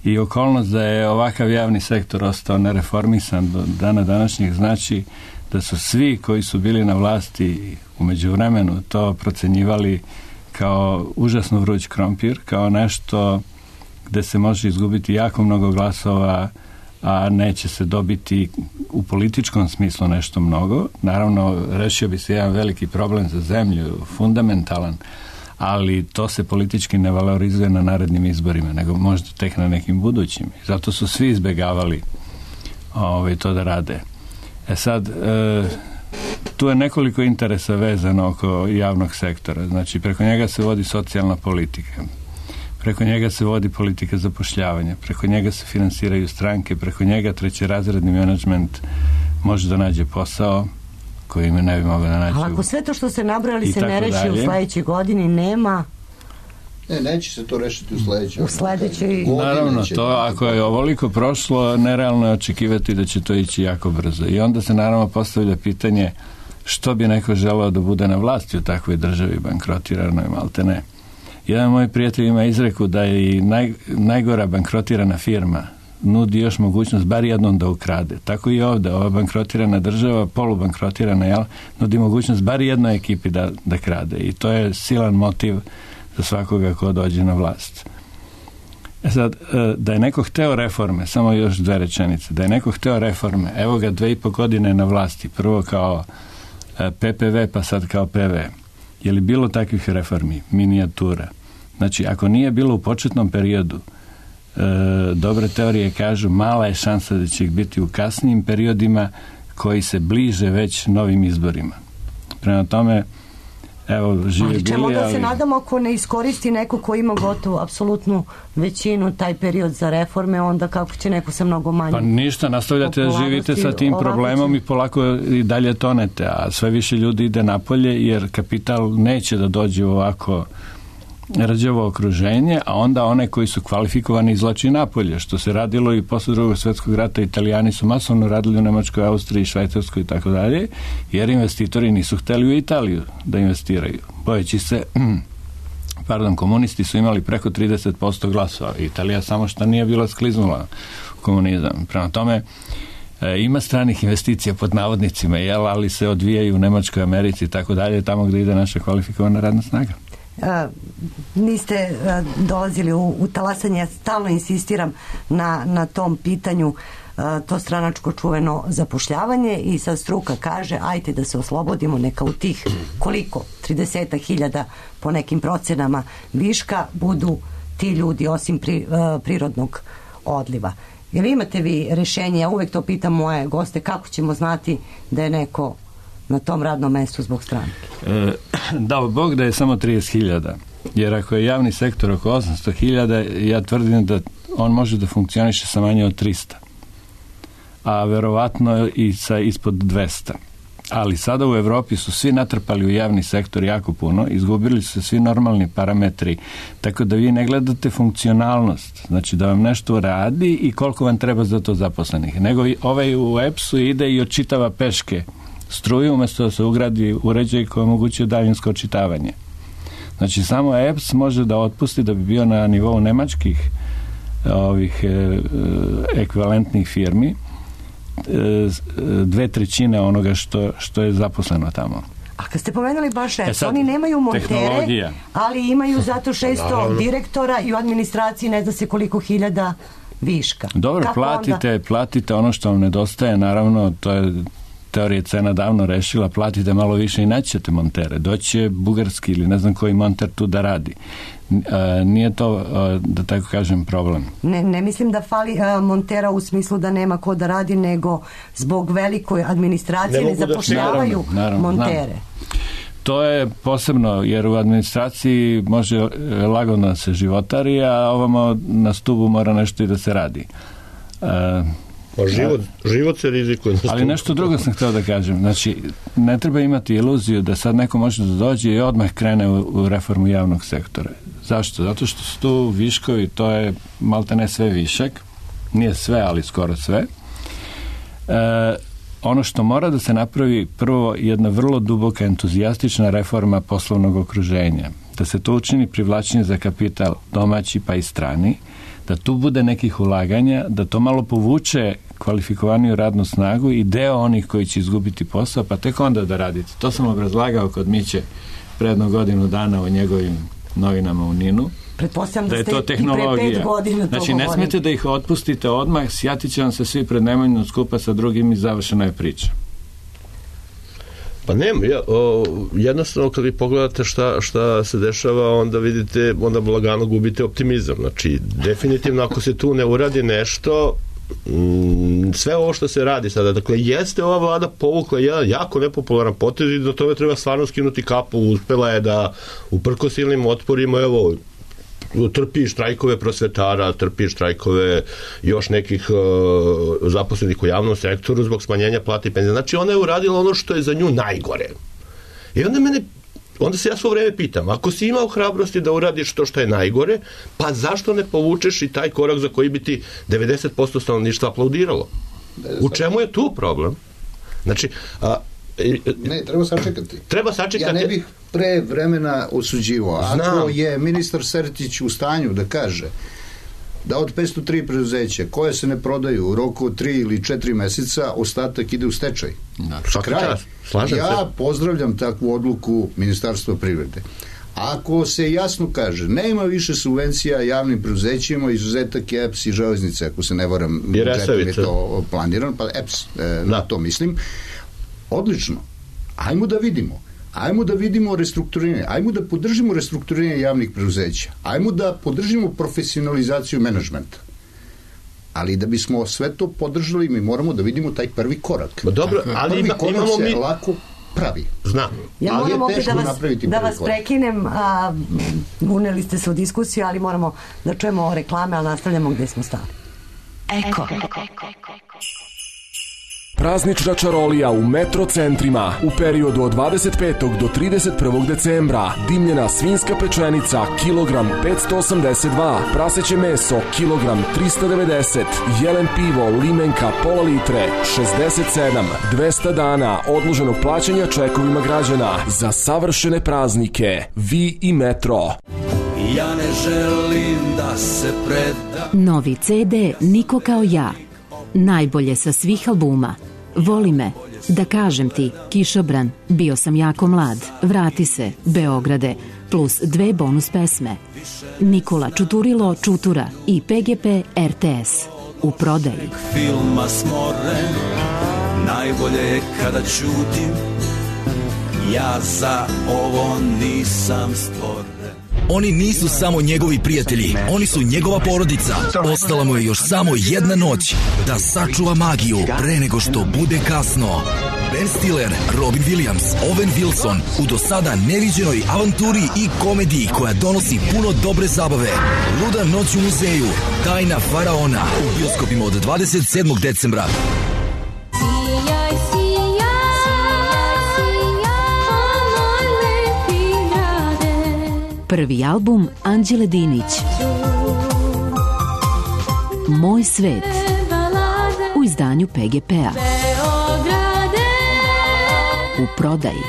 I okolnost da je ovakav javni sektor ostao nereformisan do dana današnjeg znači da su svi koji su bili na vlasti u međuvremenu to procenjivali kao užasno vruć krompir, kao nešto gde se može izgubiti jako mnogo glasova, a neće se dobiti u političkom smislu nešto mnogo. Naravno, rešio bi se jedan veliki problem za zemlju, fundamentalan, ali to se politički ne valorizuje na narednim izborima, nego možda tek na nekim budućim. Zato su svi izbegavali ovaj, to da rade. E sad, e, tu je nekoliko interesa vezano oko javnog sektora. Znači, preko njega se vodi socijalna politika, preko njega se vodi politika zapošljavanja, preko njega se finansiraju stranke, preko njega trećerazredni menadžment može da nađe posao koji me ne bi mogao da nađe. Ali ako sve to što ste nabrali se ne reši u sledećoj godini, nema... Ne, neće se to rešiti u sledećoj. U sledećoj... Naravno, to ako je ovoliko prošlo, nerealno je očekivati da će to ići jako brzo. I onda se naravno postavlja pitanje što bi neko želeo da bude na vlasti u takvoj državi bankrotiranoj, malte ne. Jedan moj prijatelj ima izreku da je i naj, najgora bankrotirana firma nudi još mogućnost bar jednom da ukrade. Tako i ovde, ova bankrotirana država, polubankrotirana, jel, nudi mogućnost bar jednoj ekipi da, da krade. I to je silan motiv za svakoga ko dođe na vlast. E sad, da je neko hteo reforme, samo još dve rečenice, da je neko hteo reforme, evo ga dve i po godine na vlasti, prvo kao P P V, pa sad kao P V. Je li bilo takvih reformi? Minijatura. Znači, ako nije bilo u početnom periodu, e, dobre teorije kažu, mala je šansa da će ih biti u kasnijim periodima koji se bliže već novim izborima. Prema tome, evo, živi ali čemu bili, da ali... se nadamo ako ne iskoristi neko ko ima gotovo apsolutnu većinu taj period za reforme, onda kako će neko sa mnogo manje? Pa ništa, nastavljate da živite sa tim problemom i polako i dalje tonete, a sve više ljudi ide napolje jer kapital neće da dođe u ovako rđavo okruženje, a onda one koji su kvalifikovani izlači napolje, što se radilo i posle drugog svjetskog rata. Italijani su masovno radili u Nemačkoj, Austriji, Švajcarskoj i tako dalje, jer investitori nisu hteli u Italiju da investiraju. Bojeći se, pardon, komunisti su imali preko trideset posto glasova. Italija samo što nije bila skliznula u komunizam. Prema tome, e, ima stranih investicija pod navodnicima, jel, ali se odvijaju u Nemačkoj, Americi i tako dalje, tamo gde ide naša kvalifikovana radna snaga. Uh, niste uh, dolazili u, u talasanje, ja stalno insistiram na, na tom pitanju, uh, to stranačko čuveno zapošljavanje, i sad struka kaže ajte da se oslobodimo, neka u tih koliko, trideset hiljada po nekim procenama viška budu ti ljudi osim pri, uh, prirodnog odliva. Jel imate vi rešenje? Ja uvek to pitam moje goste, kako ćemo znati da je neko na tom radnom mestu zbog stranke? E, dao Bog da je samo trideset hiljada, jer ako je javni sektor oko osamsto hiljada, ja tvrdim da on može da funkcioniše sa manje od trista, a verovatno i sa ispod dvesta. Ali sada u Evropi su svi natrpali u javni sektor jako puno, izgubili su se svi normalni parametri, tako da vi ne gledate funkcionalnost, znači da vam nešto radi i koliko vam treba za to zaposlenih, nego ovaj u E P S-u ide i odčitava peške struju umjesto da se ugradi uređaj koji omogućuje daljinsko očitavanje. Znači samo E P S može da otpusti, da bi bio na nivou nemačkih ovih e, ekvivalentnih firmi, e, dve trećine onoga što, što je zaposleno tamo. A kad ste pomenuli baš E P S, e sad, oni nemaju montere, ali imaju zato šesto direktora i u administraciji ne zna se koliko hiljada viška. Dobro, kako platite, onda? platite ono što vam nedostaje, naravno, to je teorija cena davno rešila, platite malo više i naćete montere. Doće bugarski ili ne znam koji monter tu da radi. A, nije to, a, da tako kažem, problem. Ne, ne mislim da fali a, montera u smislu da nema ko da radi, nego zbog velikoj administracije ne, ne zapošljavaju da naravno, montere. Naravno. To je posebno, jer u administraciji može lagodno da se životari, a ovamo na stubu mora nešto i da se radi. A, Pa život, život se rizikuje. Ali nešto drugo sam htio da kažem. Znači, ne treba imati iluziju da sad neko može da dođe i odmah krene u, u reformu javnog sektora. Zašto? Zato što su tu viškovi, to je malte ne sve višak. Nije sve, ali skoro sve. E, ono što mora da se napravi, prvo, jedna vrlo duboka entuzijastična reforma poslovnog okruženja. Da se to učini privlačenje za kapital domaći pa i strani, da tu bude nekih ulaganja, da to malo povuče kvalifikovaniju radnu snagu i deo onih koji će izgubiti posao, pa tek onda da radite. To sam obrazlagao kod Miće predno godinu dana u njegovim novinama u Ninu. Pretpostavljam da, da ste to tehnologija. I pre pet godina to znači, ne smijete da ih otpustite odmah, sjatit će vam se svi pred Nemanjinom skupa sa drugim i završena je priča. Pa nema, ja, o, jednostavno kad vi pogledate šta, šta se dešava, onda vidite, onda lagano gubite optimizam. Znači, definitivno ako se tu ne uradi nešto, m, sve ovo što se radi sada, dakle, jeste ova vlada povukla jedan jako nepopularan potez i do toga treba stvarno skinuti kapu, uspela je da uprkos silnim otporima, evo, trpi štrajkove prosvetara, trpi štrajkove još nekih uh, zaposlenih u javnom sektoru zbog smanjenja plata i penzija. Znači ona je uradila ono što je za nju najgore. I onda mene onda se ja svo vreme pitam, ako si imao hrabrosti da uradiš to što je najgore, pa zašto ne povučeš i taj korak za koji bi ti devedeset posto stanovništva aplaudiralo? U čemu je tu problem? Znači, a, Ne, treba sačekati. Treba sačekati. Ja ne bih pre vremena osuđivao. Ako Znam. je ministar Sertić u stanju da kaže da od petsto tri preduzeća koje se ne prodaju u roku od tri ili četiri meseca, ostatak ide u stečaj. Kraj. Slažem ja se. pozdravljam takvu odluku Ministarstva privrede. Ako se jasno kaže, nema više subvencija javnim preduzećima, izuzetak je E P S i Železnice, ako se ne varam, budžetom je to planirano, pa E P S, e, na to mislim. Odlično. Ajmo da vidimo. Ajmo da vidimo restrukturiranje. Ajmo da podržimo restrukturiranje javnih preduzeća. Ajmo da podržimo profesionalizaciju menadžmenta. Ali da bismo sve to podržali, mi moramo da vidimo taj prvi korak. Dobro, ali prvi ima, korak imamo se mi... lako pravi. Znam. Ja ali moram je opet teško da vas, napraviti da prvi vas korak. prekinem, a, uneli ste se u diskusiju, ali moramo da čujemo reklame, ali nastavljamo gde smo stali. Eko. Praznična čarolija u metro centrima u periodu od dvadeset petog do trideset prvog decembra. Dimljena svinjska pečenica kilogram petsto osamdeset dva, praseće meso kilogram trista devedeset, jelen pivo limenka pola litre šezdeset sedam, dvesta dana odloženog plaćanja čekovima građana za savršene praznike. Vi i metro. Ja ne želim da se predam. Novi ce de Niko kao ja. Najbolje sa svih albuma. Voli me, da kažem ti, Kišobran, bio sam jako mlad, vrati se, Beograde, plus dve bonus pesme. Nikola Čuturilo Čutura i Pe Ge Pe er te es. U prodaji. Filma smoren, najbolje je kada čutim, ja za ovo nisam stvoren. Oni nisu samo njegovi prijatelji, oni su njegova porodica. Ostala mu je još samo jedna noć da sačuva magiju pre nego što bude kasno. Ben Stiller, Robin Williams, Owen Wilson u do sada neviđenoj avanturi i komediji koja donosi puno dobre zabave. Luda noć u muzeju, Tajna faraona u bioskopima od dvadeset sedmog decembra. Prvi album Anđele Dinić. Moj svet. U izdanju Pe Ge Pe-a. U prodaji.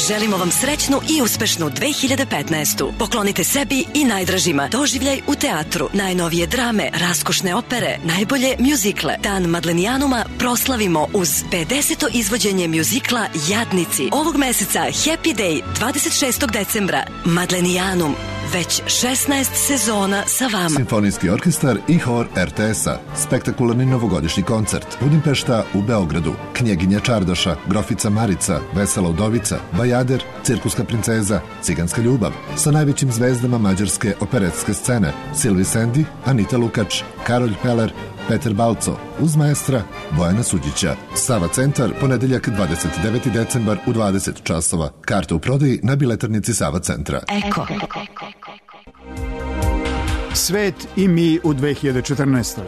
Želimo vam srećnu i uspešnu dve hiljade petnaestu. Poklonite sebi i najdražima doživljaj u teatru, najnovije drame, raskošne opere, najbolje mjuzikle. Dan Madlenijanuma proslavimo uz pedeseto izvođenje mjuzikla Jadnici. Ovog meseca Happy Day dvadeset šestog decembra. Madlenijanum. Već šesnaest sezona sa vama. Simfonijski orkestar i hor er te es-a. Spektakularni novogodišnji koncert. Budimpešta u Beogradu. Knjeginja Čardaša, Grofica Marica, Vesela udovica, Bajader, Cirkuska princeza, Ciganska ljubav. Sa najvećim zvezdama mađarske operetske scene. Silvi Sendi, Anita Lukač, Karolj Peler, Peter Balco, uz maestra Bojana Suđića. Sava centar, ponedeljak dvadeset deveti decembar u dvadeset časova. Karte u prodaji na biletarnici Sava centra. Eko. Svet i mi u dve hiljade četrnaestoj.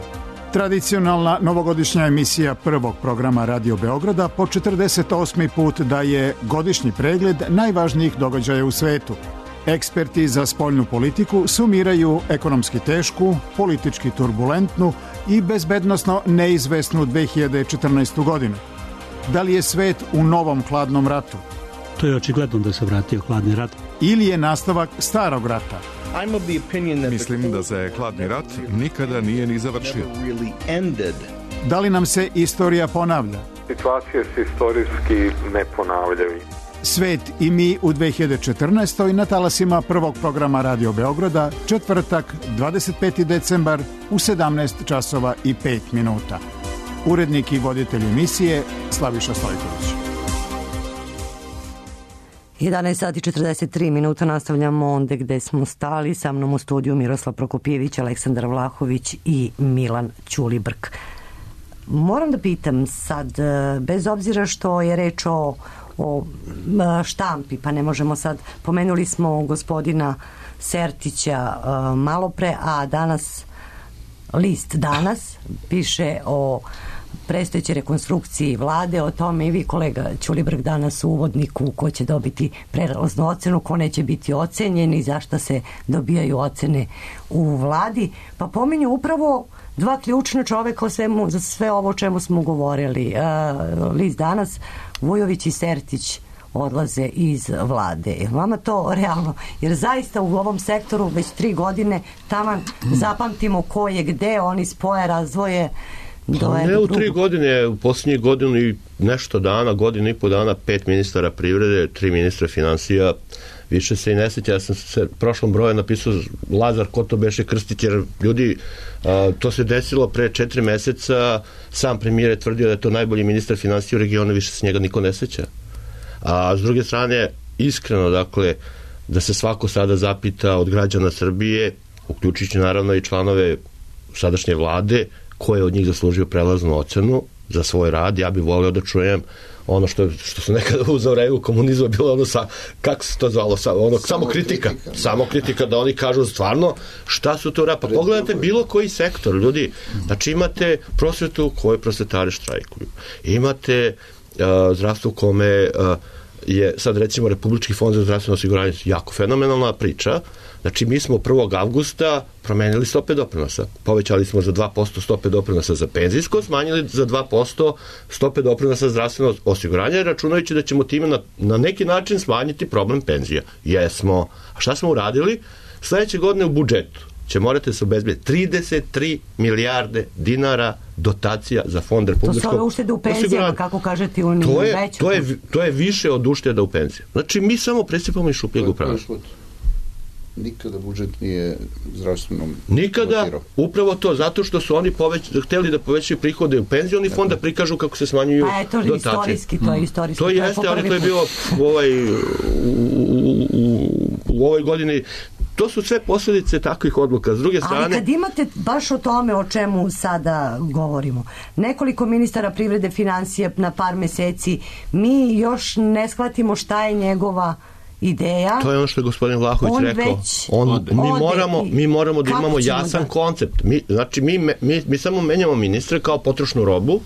Tradicionalna novogodišnja emisija prvog programa Radio Beograda po četrdeset osmi put daje godišnji pregled najvažnijih događaja u svetu. Eksperti za spoljnu politiku sumiraju ekonomski tešku, politički turbulentnu i bezbednosno neizvesnu dve hiljade četrnaestu godinu. Da li je svet u novom hladnom ratu? To je očigledno da se vratio hladni rat. Ili je nastavak starog rata? Mislim da se hladni rat nikada nije ni završio. Da li nam se istorija ponavlja? Situacije se istorijski ne ponavljaju. Svet i mi u dve hiljade četrnaestoj na talasima prvog programa Radio Beograda, četvrtak, dvadeset peti decembar u sedamnaest časova i pet minuta. Urednik i voditelj emisije Slaviša Stojković. jedanaest sati četrdeset tri minuta, nastavljamo onda gde smo stali. Sa mnom u studiju Miroslav Prokopijević, Aleksandar Vlahović i Milan Ćulibrk. Moram da pitam sad, bez obzira što je reč o, o štampi, pa ne možemo sad, pomenuli smo gospodina Sertića malo pre, a danas list Danas piše o predstojećoj rekonstrukciji vlade, o tome i vi kolega Ćulibrk danas u uvodniku, ko će dobiti prelaznu ocenu, ko neće biti ocenjen i zašto se dobijaju ocene u vladi, pa pominju upravo dva ključna čoveka o svemu, za sve ovo o čemu smo govorili. Uh, list Danas, Vujović i Sertić odlaze iz vlade. Je vama to realno? Jer zaista u ovom sektoru već tri godine taman zapamtimo ko je gde, oni spoje, razvoje. Pa ne u tri godine, u posljednjih godinu i nešto dana, godinu i po dana, pet ministara privrede, tri ministra financija, više se i ne sjeća. Ja sam se prošlom broju napisao Lazar, ko to beše Krstić, jer ljudi, a, to se desilo pre četiri meseca, sam premijer je tvrdio da je to najbolji ministar financija u regionu, više se njega niko ne sjeća. A s druge strane, iskreno, dakle, da se svako sada zapita od građana Srbije, uključujući naravno i članove sadašnje vlade, ko je od njih zaslužio prelaznu ocenu za svoj rad. Ja bih volio da čujem ono što, što su nekada u zavremenu komunizma bilo ono sa, kako se to zvalo, sa, ono, samo, samo kritika, kritika. Samo kritika, da oni kažu stvarno šta su to rad. Pa pogledajte bilo koji sektor, ljudi. Znači imate prosvetu koje prosvetari štrajkuju. Imate uh, zdravstvo kome uh, je sad recimo Republički fond za zdravstveno osiguranje jako fenomenalna priča. Znači mi smo prvog avgusta promenili stope doprinosa. Povećali smo za dva posto stope doprinosa za penzijsko, smanjili za dva posto stope doprinosa za zdravstveno osiguranje, računajući da ćemo time na, na neki način smanjiti problem penzija. Jesmo. A šta smo uradili? Sljedeće godine u budžetu će morate se obezbediti trideset tri milijarde dinara dotacija za fond republičkog osiguranja. To su ove uštede u penzijama, kako kažete, u to je, veću. To je, to je više od ušteda u penziji. Znači, mi samo presipamo iz šupljeg u prazno. Nikada budžet nije zdravstvenom Nikada, dotirao. Upravo to, zato što su oni poveć, hteli da povećaju prihode u penzioni fond, da prikažu kako se smanjuju dotacije. Pa je to dotacije. Istorijski, to je istorijski. To, to jeste, ali to je bilo u, ovaj, u, u, u, u ovoj godini. To su sve posljedice takvih odluka. S druge strane... Ali kad imate baš o tome o čemu sada govorimo, nekoliko ministara privrede, financije na par meseci, mi još ne shvatimo šta je njegova ideja. To je ono što je gospodin Vlahović on rekao. Već on, ode. mi, moramo, mi moramo da imamo jasan da... koncept. Mi, znači, mi, mi, mi samo menjamo ministre kao potrošnu robu,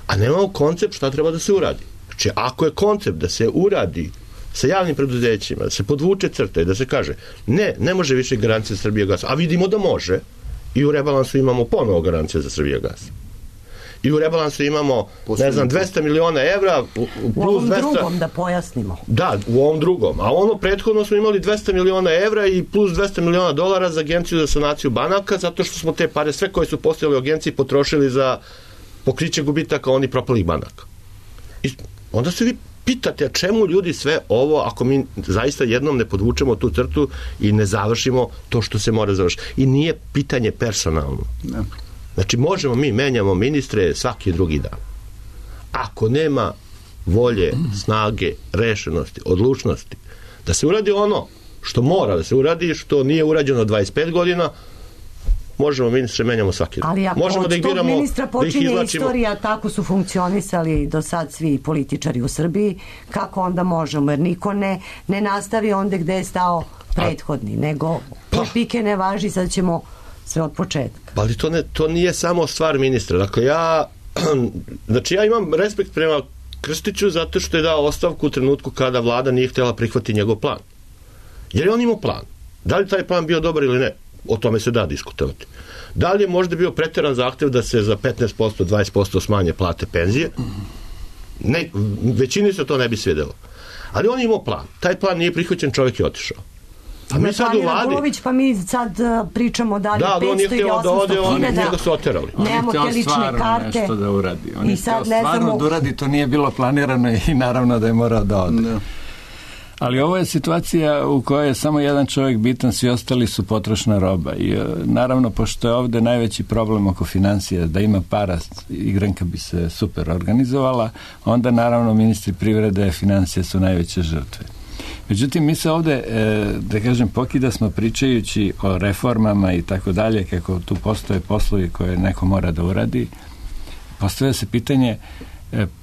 a nemamo koncept šta treba da se uradi. Znači, ako je koncept da se uradi sa javnim preduzećima, da se podvuče crta i da se kaže, ne, ne može više garancija za Srbijagas, a vidimo da može, i u rebalansu imamo ponovo garancija za Srbijagas. I u rebalansu imamo, Posledno. ne znam, dvesta miliona evra plus u ovom dvesta... drugom, da pojasnimo. Da, u ovom drugom. A ono prethodno smo imali dvesta miliona evra i plus dvesta miliona dolara za agenciju za sanaciju banaka, zato što smo te pare, sve koje su postojali u agenciji, potrošili za pokriće gubitaka onih propalih banaka. I onda se vi pitate, a čemu ljudi sve ovo, ako mi zaista jednom ne podvučemo tu crtu i ne završimo to što se mora završiti. I nije pitanje personalno. Ne. Znači, možemo mi, menjamo ministre svaki drugi dan. Ako nema volje, snage, rešenosti, odlučnosti, da se uradi ono što mora da se uradi, što nije urađeno dvadeset pet godina, možemo ministre menjamo svaki dan. Ali ako možemo od da ih tog biramo, ministra počinje da istorija, tako su funkcionisali do sad svi političari u Srbiji, kako onda možemo? Jer niko ne, ne nastavi onda gde je stao prethodni, nego pa, pike ne važi, sad ćemo sve od početka. Ali to, ne, to nije samo stvar ministra. Dakle, ja znači ja imam respekt prema Krstiću zato što je dao ostavku u trenutku kada vlada nije htjela prihvatiti njegov plan. Jer je on imao plan. Da li taj plan bio dobar ili ne? O tome se da diskutovati. Da li je možda bio preteran zahtev da se za petnaest posto, dvadeset posto smanje plate penzije? Ne, većini se to ne bi svidjelo. Ali on je imao plan. Taj plan nije prihvaćen, čovjek je otišao. A mi sad u vladi... Radulović, pa mi sad uh, pričamo dalje da, petsto ili osamsto hiljada. Da, su oterali. Nemamo te lične karte. Nešto da uradi. On I je sad htio stvarno znamo... da uradi, to nije bilo planirano i naravno da je morao da ode. No. Ali ovo je situacija u kojoj je samo jedan čovjek bitan, svi ostali su potrošna roba. I naravno, pošto je ovdje najveći problem oko financija, da ima para, igranka bi se super organizovala, onda naravno ministri privrede, financije su najveće žrtve. Međutim, mi se ovdje, da kažem, pokida smo pričajući o reformama i tako dalje, kako tu postoje poslovi koje neko mora da uradi. Postavlja se pitanje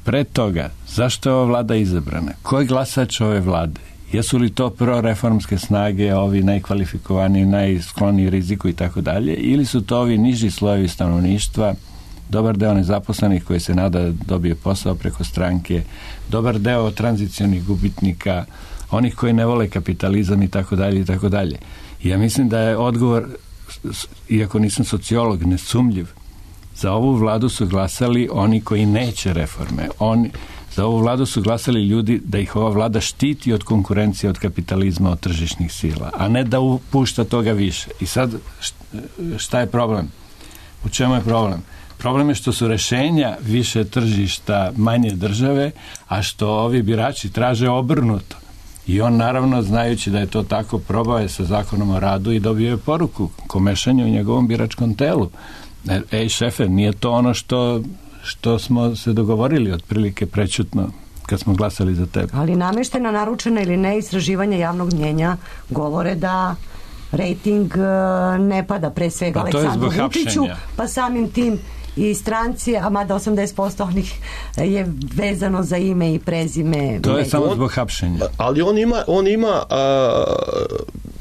pre toga, zašto je ova vlada izabrana? Ko je glasač ove vlade? Jesu li to proreformske snage, ovi najkvalifikovaniji, najskloniji riziku i tako dalje, ili su to ovi niži slojevi stanovništva dobar deo nezaposlenih koji se nada da dobije posao preko stranke, dobar deo tranzicionih gubitnika, onih koji ne vole kapitalizam i tako dalje i tako dalje. I ja mislim da je odgovor, iako nisam sociolog, nesumljiv. Za ovu vladu su glasali oni koji neće reforme. Oni, za ovu vladu su glasali ljudi da ih ova vlada štiti od konkurencije, od kapitalizma, od tržišnih sila, a ne da upušta toga više. I sad, šta je problem? U čemu je problem? Problem je što su rešenja više tržišta, manje države, a što ovi birači traže obrnuto. I on, naravno, znajući da je to tako, probao je sa zakonom o radu i dobio je poruku ko mešanje u njegovom biračkom telu. Ej, šefe, nije to ono što, što smo se dogovorili otprilike prećutno kad smo glasali za tebe. Ali nameštena, naručena ili ne istraživanja javnog mnjenja govore da rejting ne pada, pre svega pa Aleksandru Vučiću, pa samim tim i stranci, a mada osamdeset posto onih je vezano za ime i prezime. To je samo on, zbog hapšenja. Ali on ima, on ima a,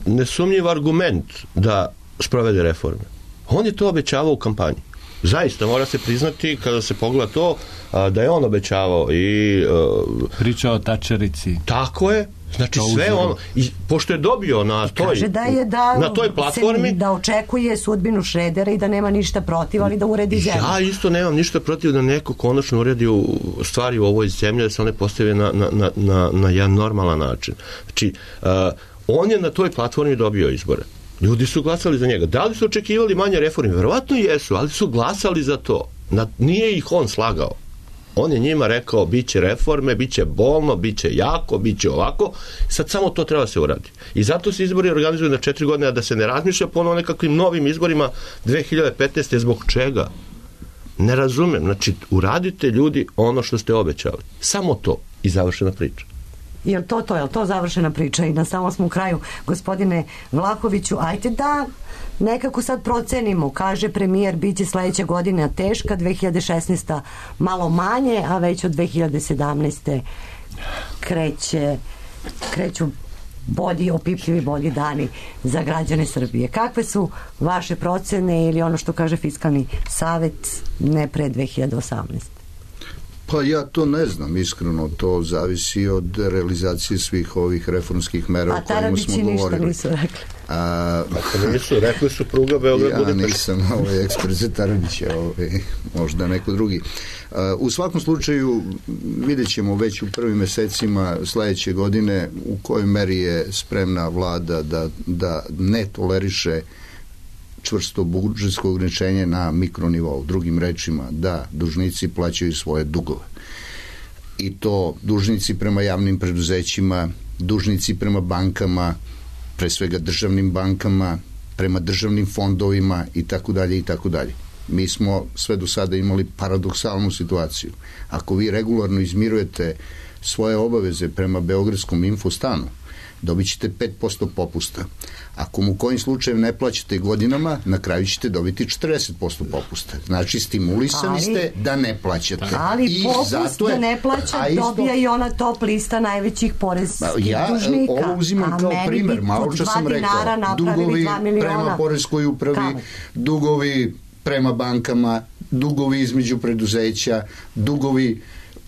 nesumnjiv argument da sprovede reforme. On je to obećavao u kampanji. Zaista, mora se priznati, kada se pogleda to, a, da je on obećavao i... A, pričao o tačerici. Tako je. Znači sve ono, i pošto je dobio na toj, kaže da je da, na toj platformi, da očekuje sudbinu Šredera i da nema ništa protiv, ali da uredi zemlju. Ja isto nemam ništa protiv da neko konačno uredi stvari u ovoj zemlji, da se one postave na, na, na, na, na jedan normalan način. Znači, uh, on je na toj platformi dobio izbore. Ljudi su glasali za njega. Da li su očekivali manje reforme? Verovatno jesu, ali su glasali za to. Na, nije ih on slagao. On je njima rekao, bit će reforme, bit će bolno, bit će jako, bit će ovako. Sad samo to treba se uradi. I zato se izbori organizuju na četiri godine, a da se ne razmišlja ponovo nekakvim novim izborima dve hiljade petnaeste. Zbog čega? Ne razumem. Znači, uradite ljudi ono što ste obećali. Samo to. I završena priča. Je li to to? Je li to završena priča? I na samom smo u kraju, gospodine Vlahoviću, ajte da nekako sad procenimo, kaže premijer, bit će sledeća godina teška, dve hiljade šesnaesta malo manje, a već od dve hiljade sedamnaeste kreće, kreću bolji, opipljivi bolji dani za građane Srbije. Kakve su vaše procene ili ono što kaže Fiskalni savet ne pre dve hiljade osamnaeste? Pa ja to ne znam, iskreno, to zavisi od realizacije svih ovih reformskih mera o kojima smo govorili. A Tarabići ništa nisu rekli. A, a nisu, rekli su pruga Beograd. Ja nisam ovaj ekspert za Tarabića, ovaj, možda neko drugi. A, u svakom slučaju vidjet ćemo već u prvim mesecima sledeće godine u kojoj meri je spremna vlada da, da ne toleriše čvrsto budžetsko ograničenje na mikronivou. Drugim rečima, da dužnici plaćaju svoje dugove. I to dužnici prema javnim preduzećima, dužnici prema bankama, pre svega državnim bankama, prema državnim fondovima i tako dalje i tako dalje. Mi smo sve do sada imali paradoksalnu situaciju. Ako vi regularno izmirujete svoje obaveze prema Beogradskom infostanu, dobit ćete pet posto popusta. Ako mu kojim slučajem ne plaćate godinama, na kraju ćete dobiti četrdeset posto popusta. Znači, stimulisani ali, ste da ne plaćate. Ali I popust zato je, da ne plaća isto, dobija i ona top lista najvećih poreskih ja, dužnika. Ja ovo uzimam kao primer. Malo što sam rekao. Dugovi prema poreskoj upravi, Kamo? dugovi prema bankama, dugovi između preduzeća, dugovi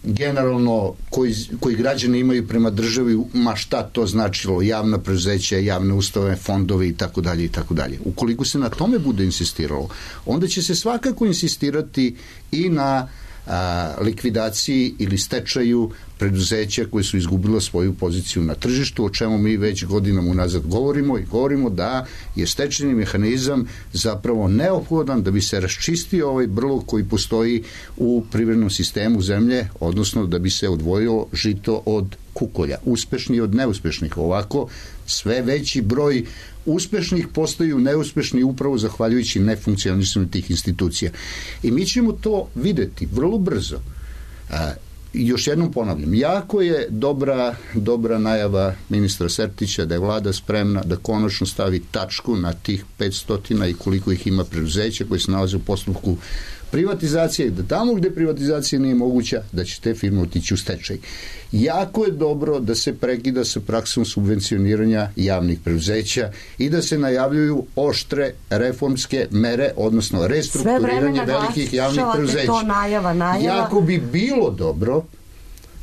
generalno koji, koji građani imaju prema državi, ma šta to značilo, javna preduzeća, javne ustanove, fondovi i tako dalje i tako dalje. Ukoliko se na tome bude insistiralo, onda će se svakako insistirati i na a, likvidaciji ili stečaju preduzeća koje su izgubila svoju poziciju na tržištu, o čemu mi već godinama unazad govorimo i govorimo da je stečajni mehanizam zapravo neophodan da bi se raščistio ovaj brlog koji postoji u privrednom sistemu zemlje, odnosno da bi se odvojilo žito od kukolja, uspešni od neuspešnih. Ovako sve veći broj uspešnih postaju neuspešni upravo zahvaljujući nefunkcionisanju tih institucija. I mi ćemo to videti vrlo brzo. A, još jednom ponavljam, jako je dobra, dobra najava ministra Sertića da je vlada spremna da konačno stavi tačku na tih petsto i koliko ih ima preduzeća koji se nalaze u postupku privatizacija i da tamo gde privatizacija nije moguća, da će te firme otići u stečaj. Jako je dobro da se prekida sa praksom subvencioniranja javnih preduzeća i da se najavljuju oštre reformske mere, odnosno restrukturiranje velikih javnih preduzeća. To najava, najava. Jako bi bilo dobro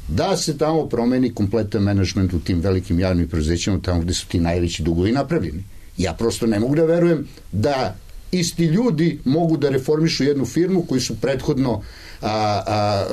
da se tamo promeni kompletan menadžment u tim velikim javnim preduzećima, tamo gde su ti najveći dugovi napravljeni. Ja prosto ne mogu da verujem da isti ljudi mogu da reformišu jednu firmu koju su prethodno a, a, a,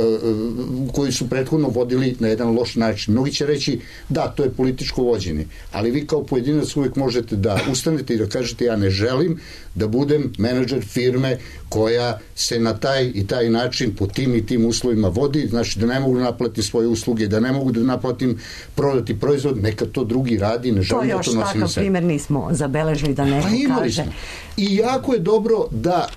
koji su prethodno vodili na jedan loš način. Mnogi će reći da, to je političko vođenje, ali vi kao pojedinac uvek možete da ustanete i da kažete ja ne želim da budem menadžer firme koja se na taj i taj način po tim i tim uslovima vodi, znači da ne mogu da naplatim svoje usluge, da ne mogu da naplatim prodati proizvod, neka to drugi radi, ne želim da to nosim na sebe. To još takav primjer nismo zabeležili da neko pa kaže. I jako je dobro da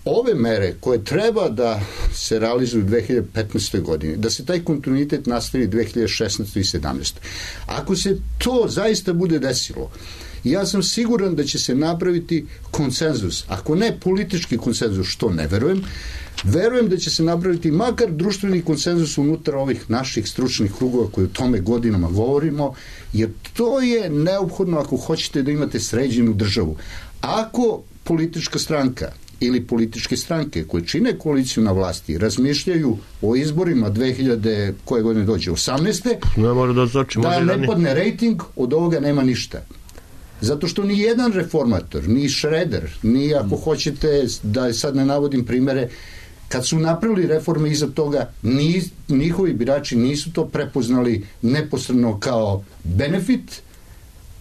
ove mere koje treba da se realizuju u dve hiljade petnaestoj godini, da se taj kontinuitet nastavi dve hiljade šesnaestoj i sedamnaestoj. Ako se to zaista bude desilo, ja sam siguran da će se napraviti konsenzus, ako ne politički konsenzus, što ne verujem, verujem da će se napraviti makar društveni konsenzus unutar ovih naših stručnih krugova koji o tome godinama govorimo, jer to je neophodno ako hoćete da imate sređenu državu. Ako politička stranka ili političke stranke koje čine koaliciju na vlasti razmišljaju o izborima dve hiljade koje godine dođe osamnaeste ne može da znači, da ne padne rejting, od ovoga nema ništa. Zato što ni jedan reformator, ni Šreder, ni ako hoćete da sad ne navodim primere, kad su napravili reforme iza toga, ni, njihovi birači nisu to prepoznali neposredno kao benefit,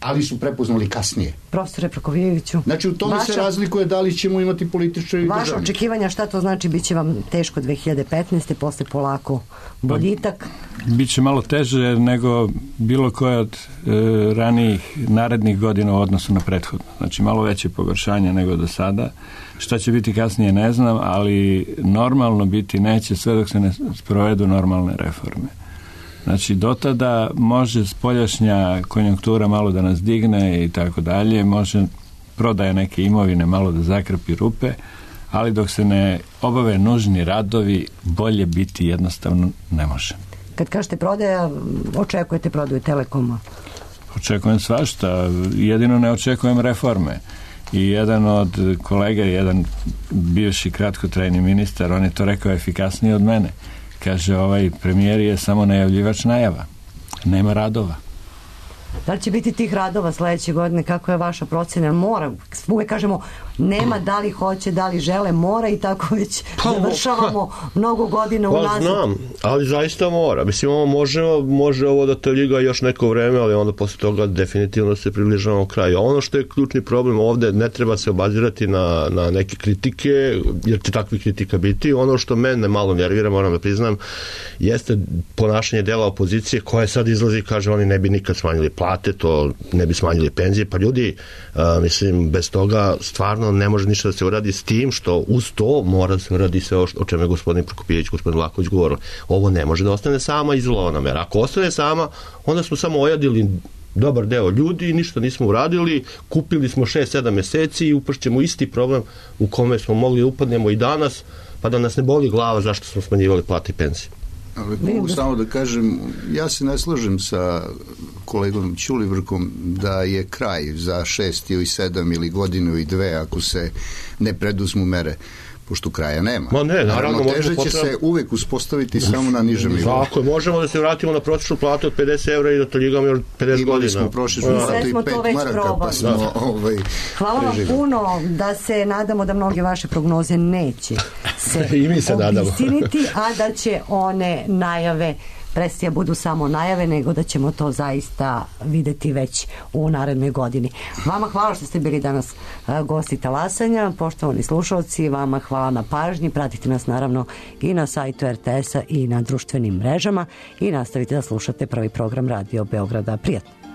ali su prepoznali kasnije. Profesore Prokopijeviću. Znači u tome vaša, se razlikuje da li ćemo imati političari i vaše državni. Vaše očekivanja šta to znači, bit će vam teško dve hiljade petnaeste posle polako boljitak? Biće malo teže nego bilo koje od e, ranijih narednih godina u odnosu na prethodno. Znači malo veće pogoršanje nego do sada. Šta će biti kasnije ne znam, ali normalno biti neće sve dok se ne sprovedu normalne reforme. Znači, do tada može spoljašnja konjunktura malo da nas digne i tako dalje, može prodaje neke imovine malo da zakrpi rupe, ali dok se ne obave nužni radovi, bolje biti jednostavno ne može. Kad kažete prodaja, očekujete prodaju Telekoma? Očekujem svašta, jedino ne očekujem reforme. I jedan od kolega, jedan bivši kratkotrajni ministar, on je to rekao efikasnije od mene. Kaže, ovaj premijer je samo najavljivač najava. Nema radova. Da li će biti tih radova sledeće godine? Kako je vaša procena? Mora. Uvijek kažemo, nema da li hoće, da li žele, mora i tako već pa, završavamo pa, mnogo godina pa, unazad. Znam, ali zaista mora. Mislim, ovo može, može ovo da te ljiga još neko vreme, ali onda posle toga definitivno se približavamo kraju. A ono što je ključni problem ovde, ne treba se obazirati na, na neke kritike, jer će takvih kritika biti. Ono što mene malo nervira, moram da priznam, jeste ponašanje dela opozicije koja sad izlazi i kaže oni ne bi nikad smanjili plate, to ne bi smanjili penzije. Pa ljudi, a, mislim, bez toga stvarno ne može ništa da se uradi, s tim što uz to mora da se uradi sve o čemu je gospodin Prokopijević, gospodin Vlahović govorili. Ovo ne može da ostane sama izolovana mera. Ako ostane sama, onda smo samo ojadili dobar deo ljudi, ništa nismo uradili, kupili smo šest sedam meseci i upršćemo isti problem u kome smo mogli da upadnemo i danas, pa da nas ne boli glava zašto smo smanjivali plate i penzije. Ali mogu samo da kažem, ja se ne slažem sa kolegom Ćulibrkom da je kraj za šest ili sedam ili godinu i dve ako se ne preduzmu mere, pošto kraja nema. Ma ne, naravno, teže će potreba... se uvek uspostaviti samo na nižem nivou. Tako je, možemo da se vratimo na prosječnu platu od pedeset evra i da to ljigamo još pedeset godina. Imali smo prosječnu platu i pet maraka, pa smo ovaj, hvala vam puno, da se nadamo da mnoge vaše prognoze neće se, I mi se obistiniti, a da će one najave prestija budu samo najave, nego da ćemo to zaista videti već u narednoj godini. Vama hvala što ste bili danas gosti Talasanja, poštovani slušalci, vama hvala na pažnji, pratite nas naravno i na sajtu er te es a i na društvenim mrežama i nastavite da slušate prvi program Radio Beograda. Prijatno!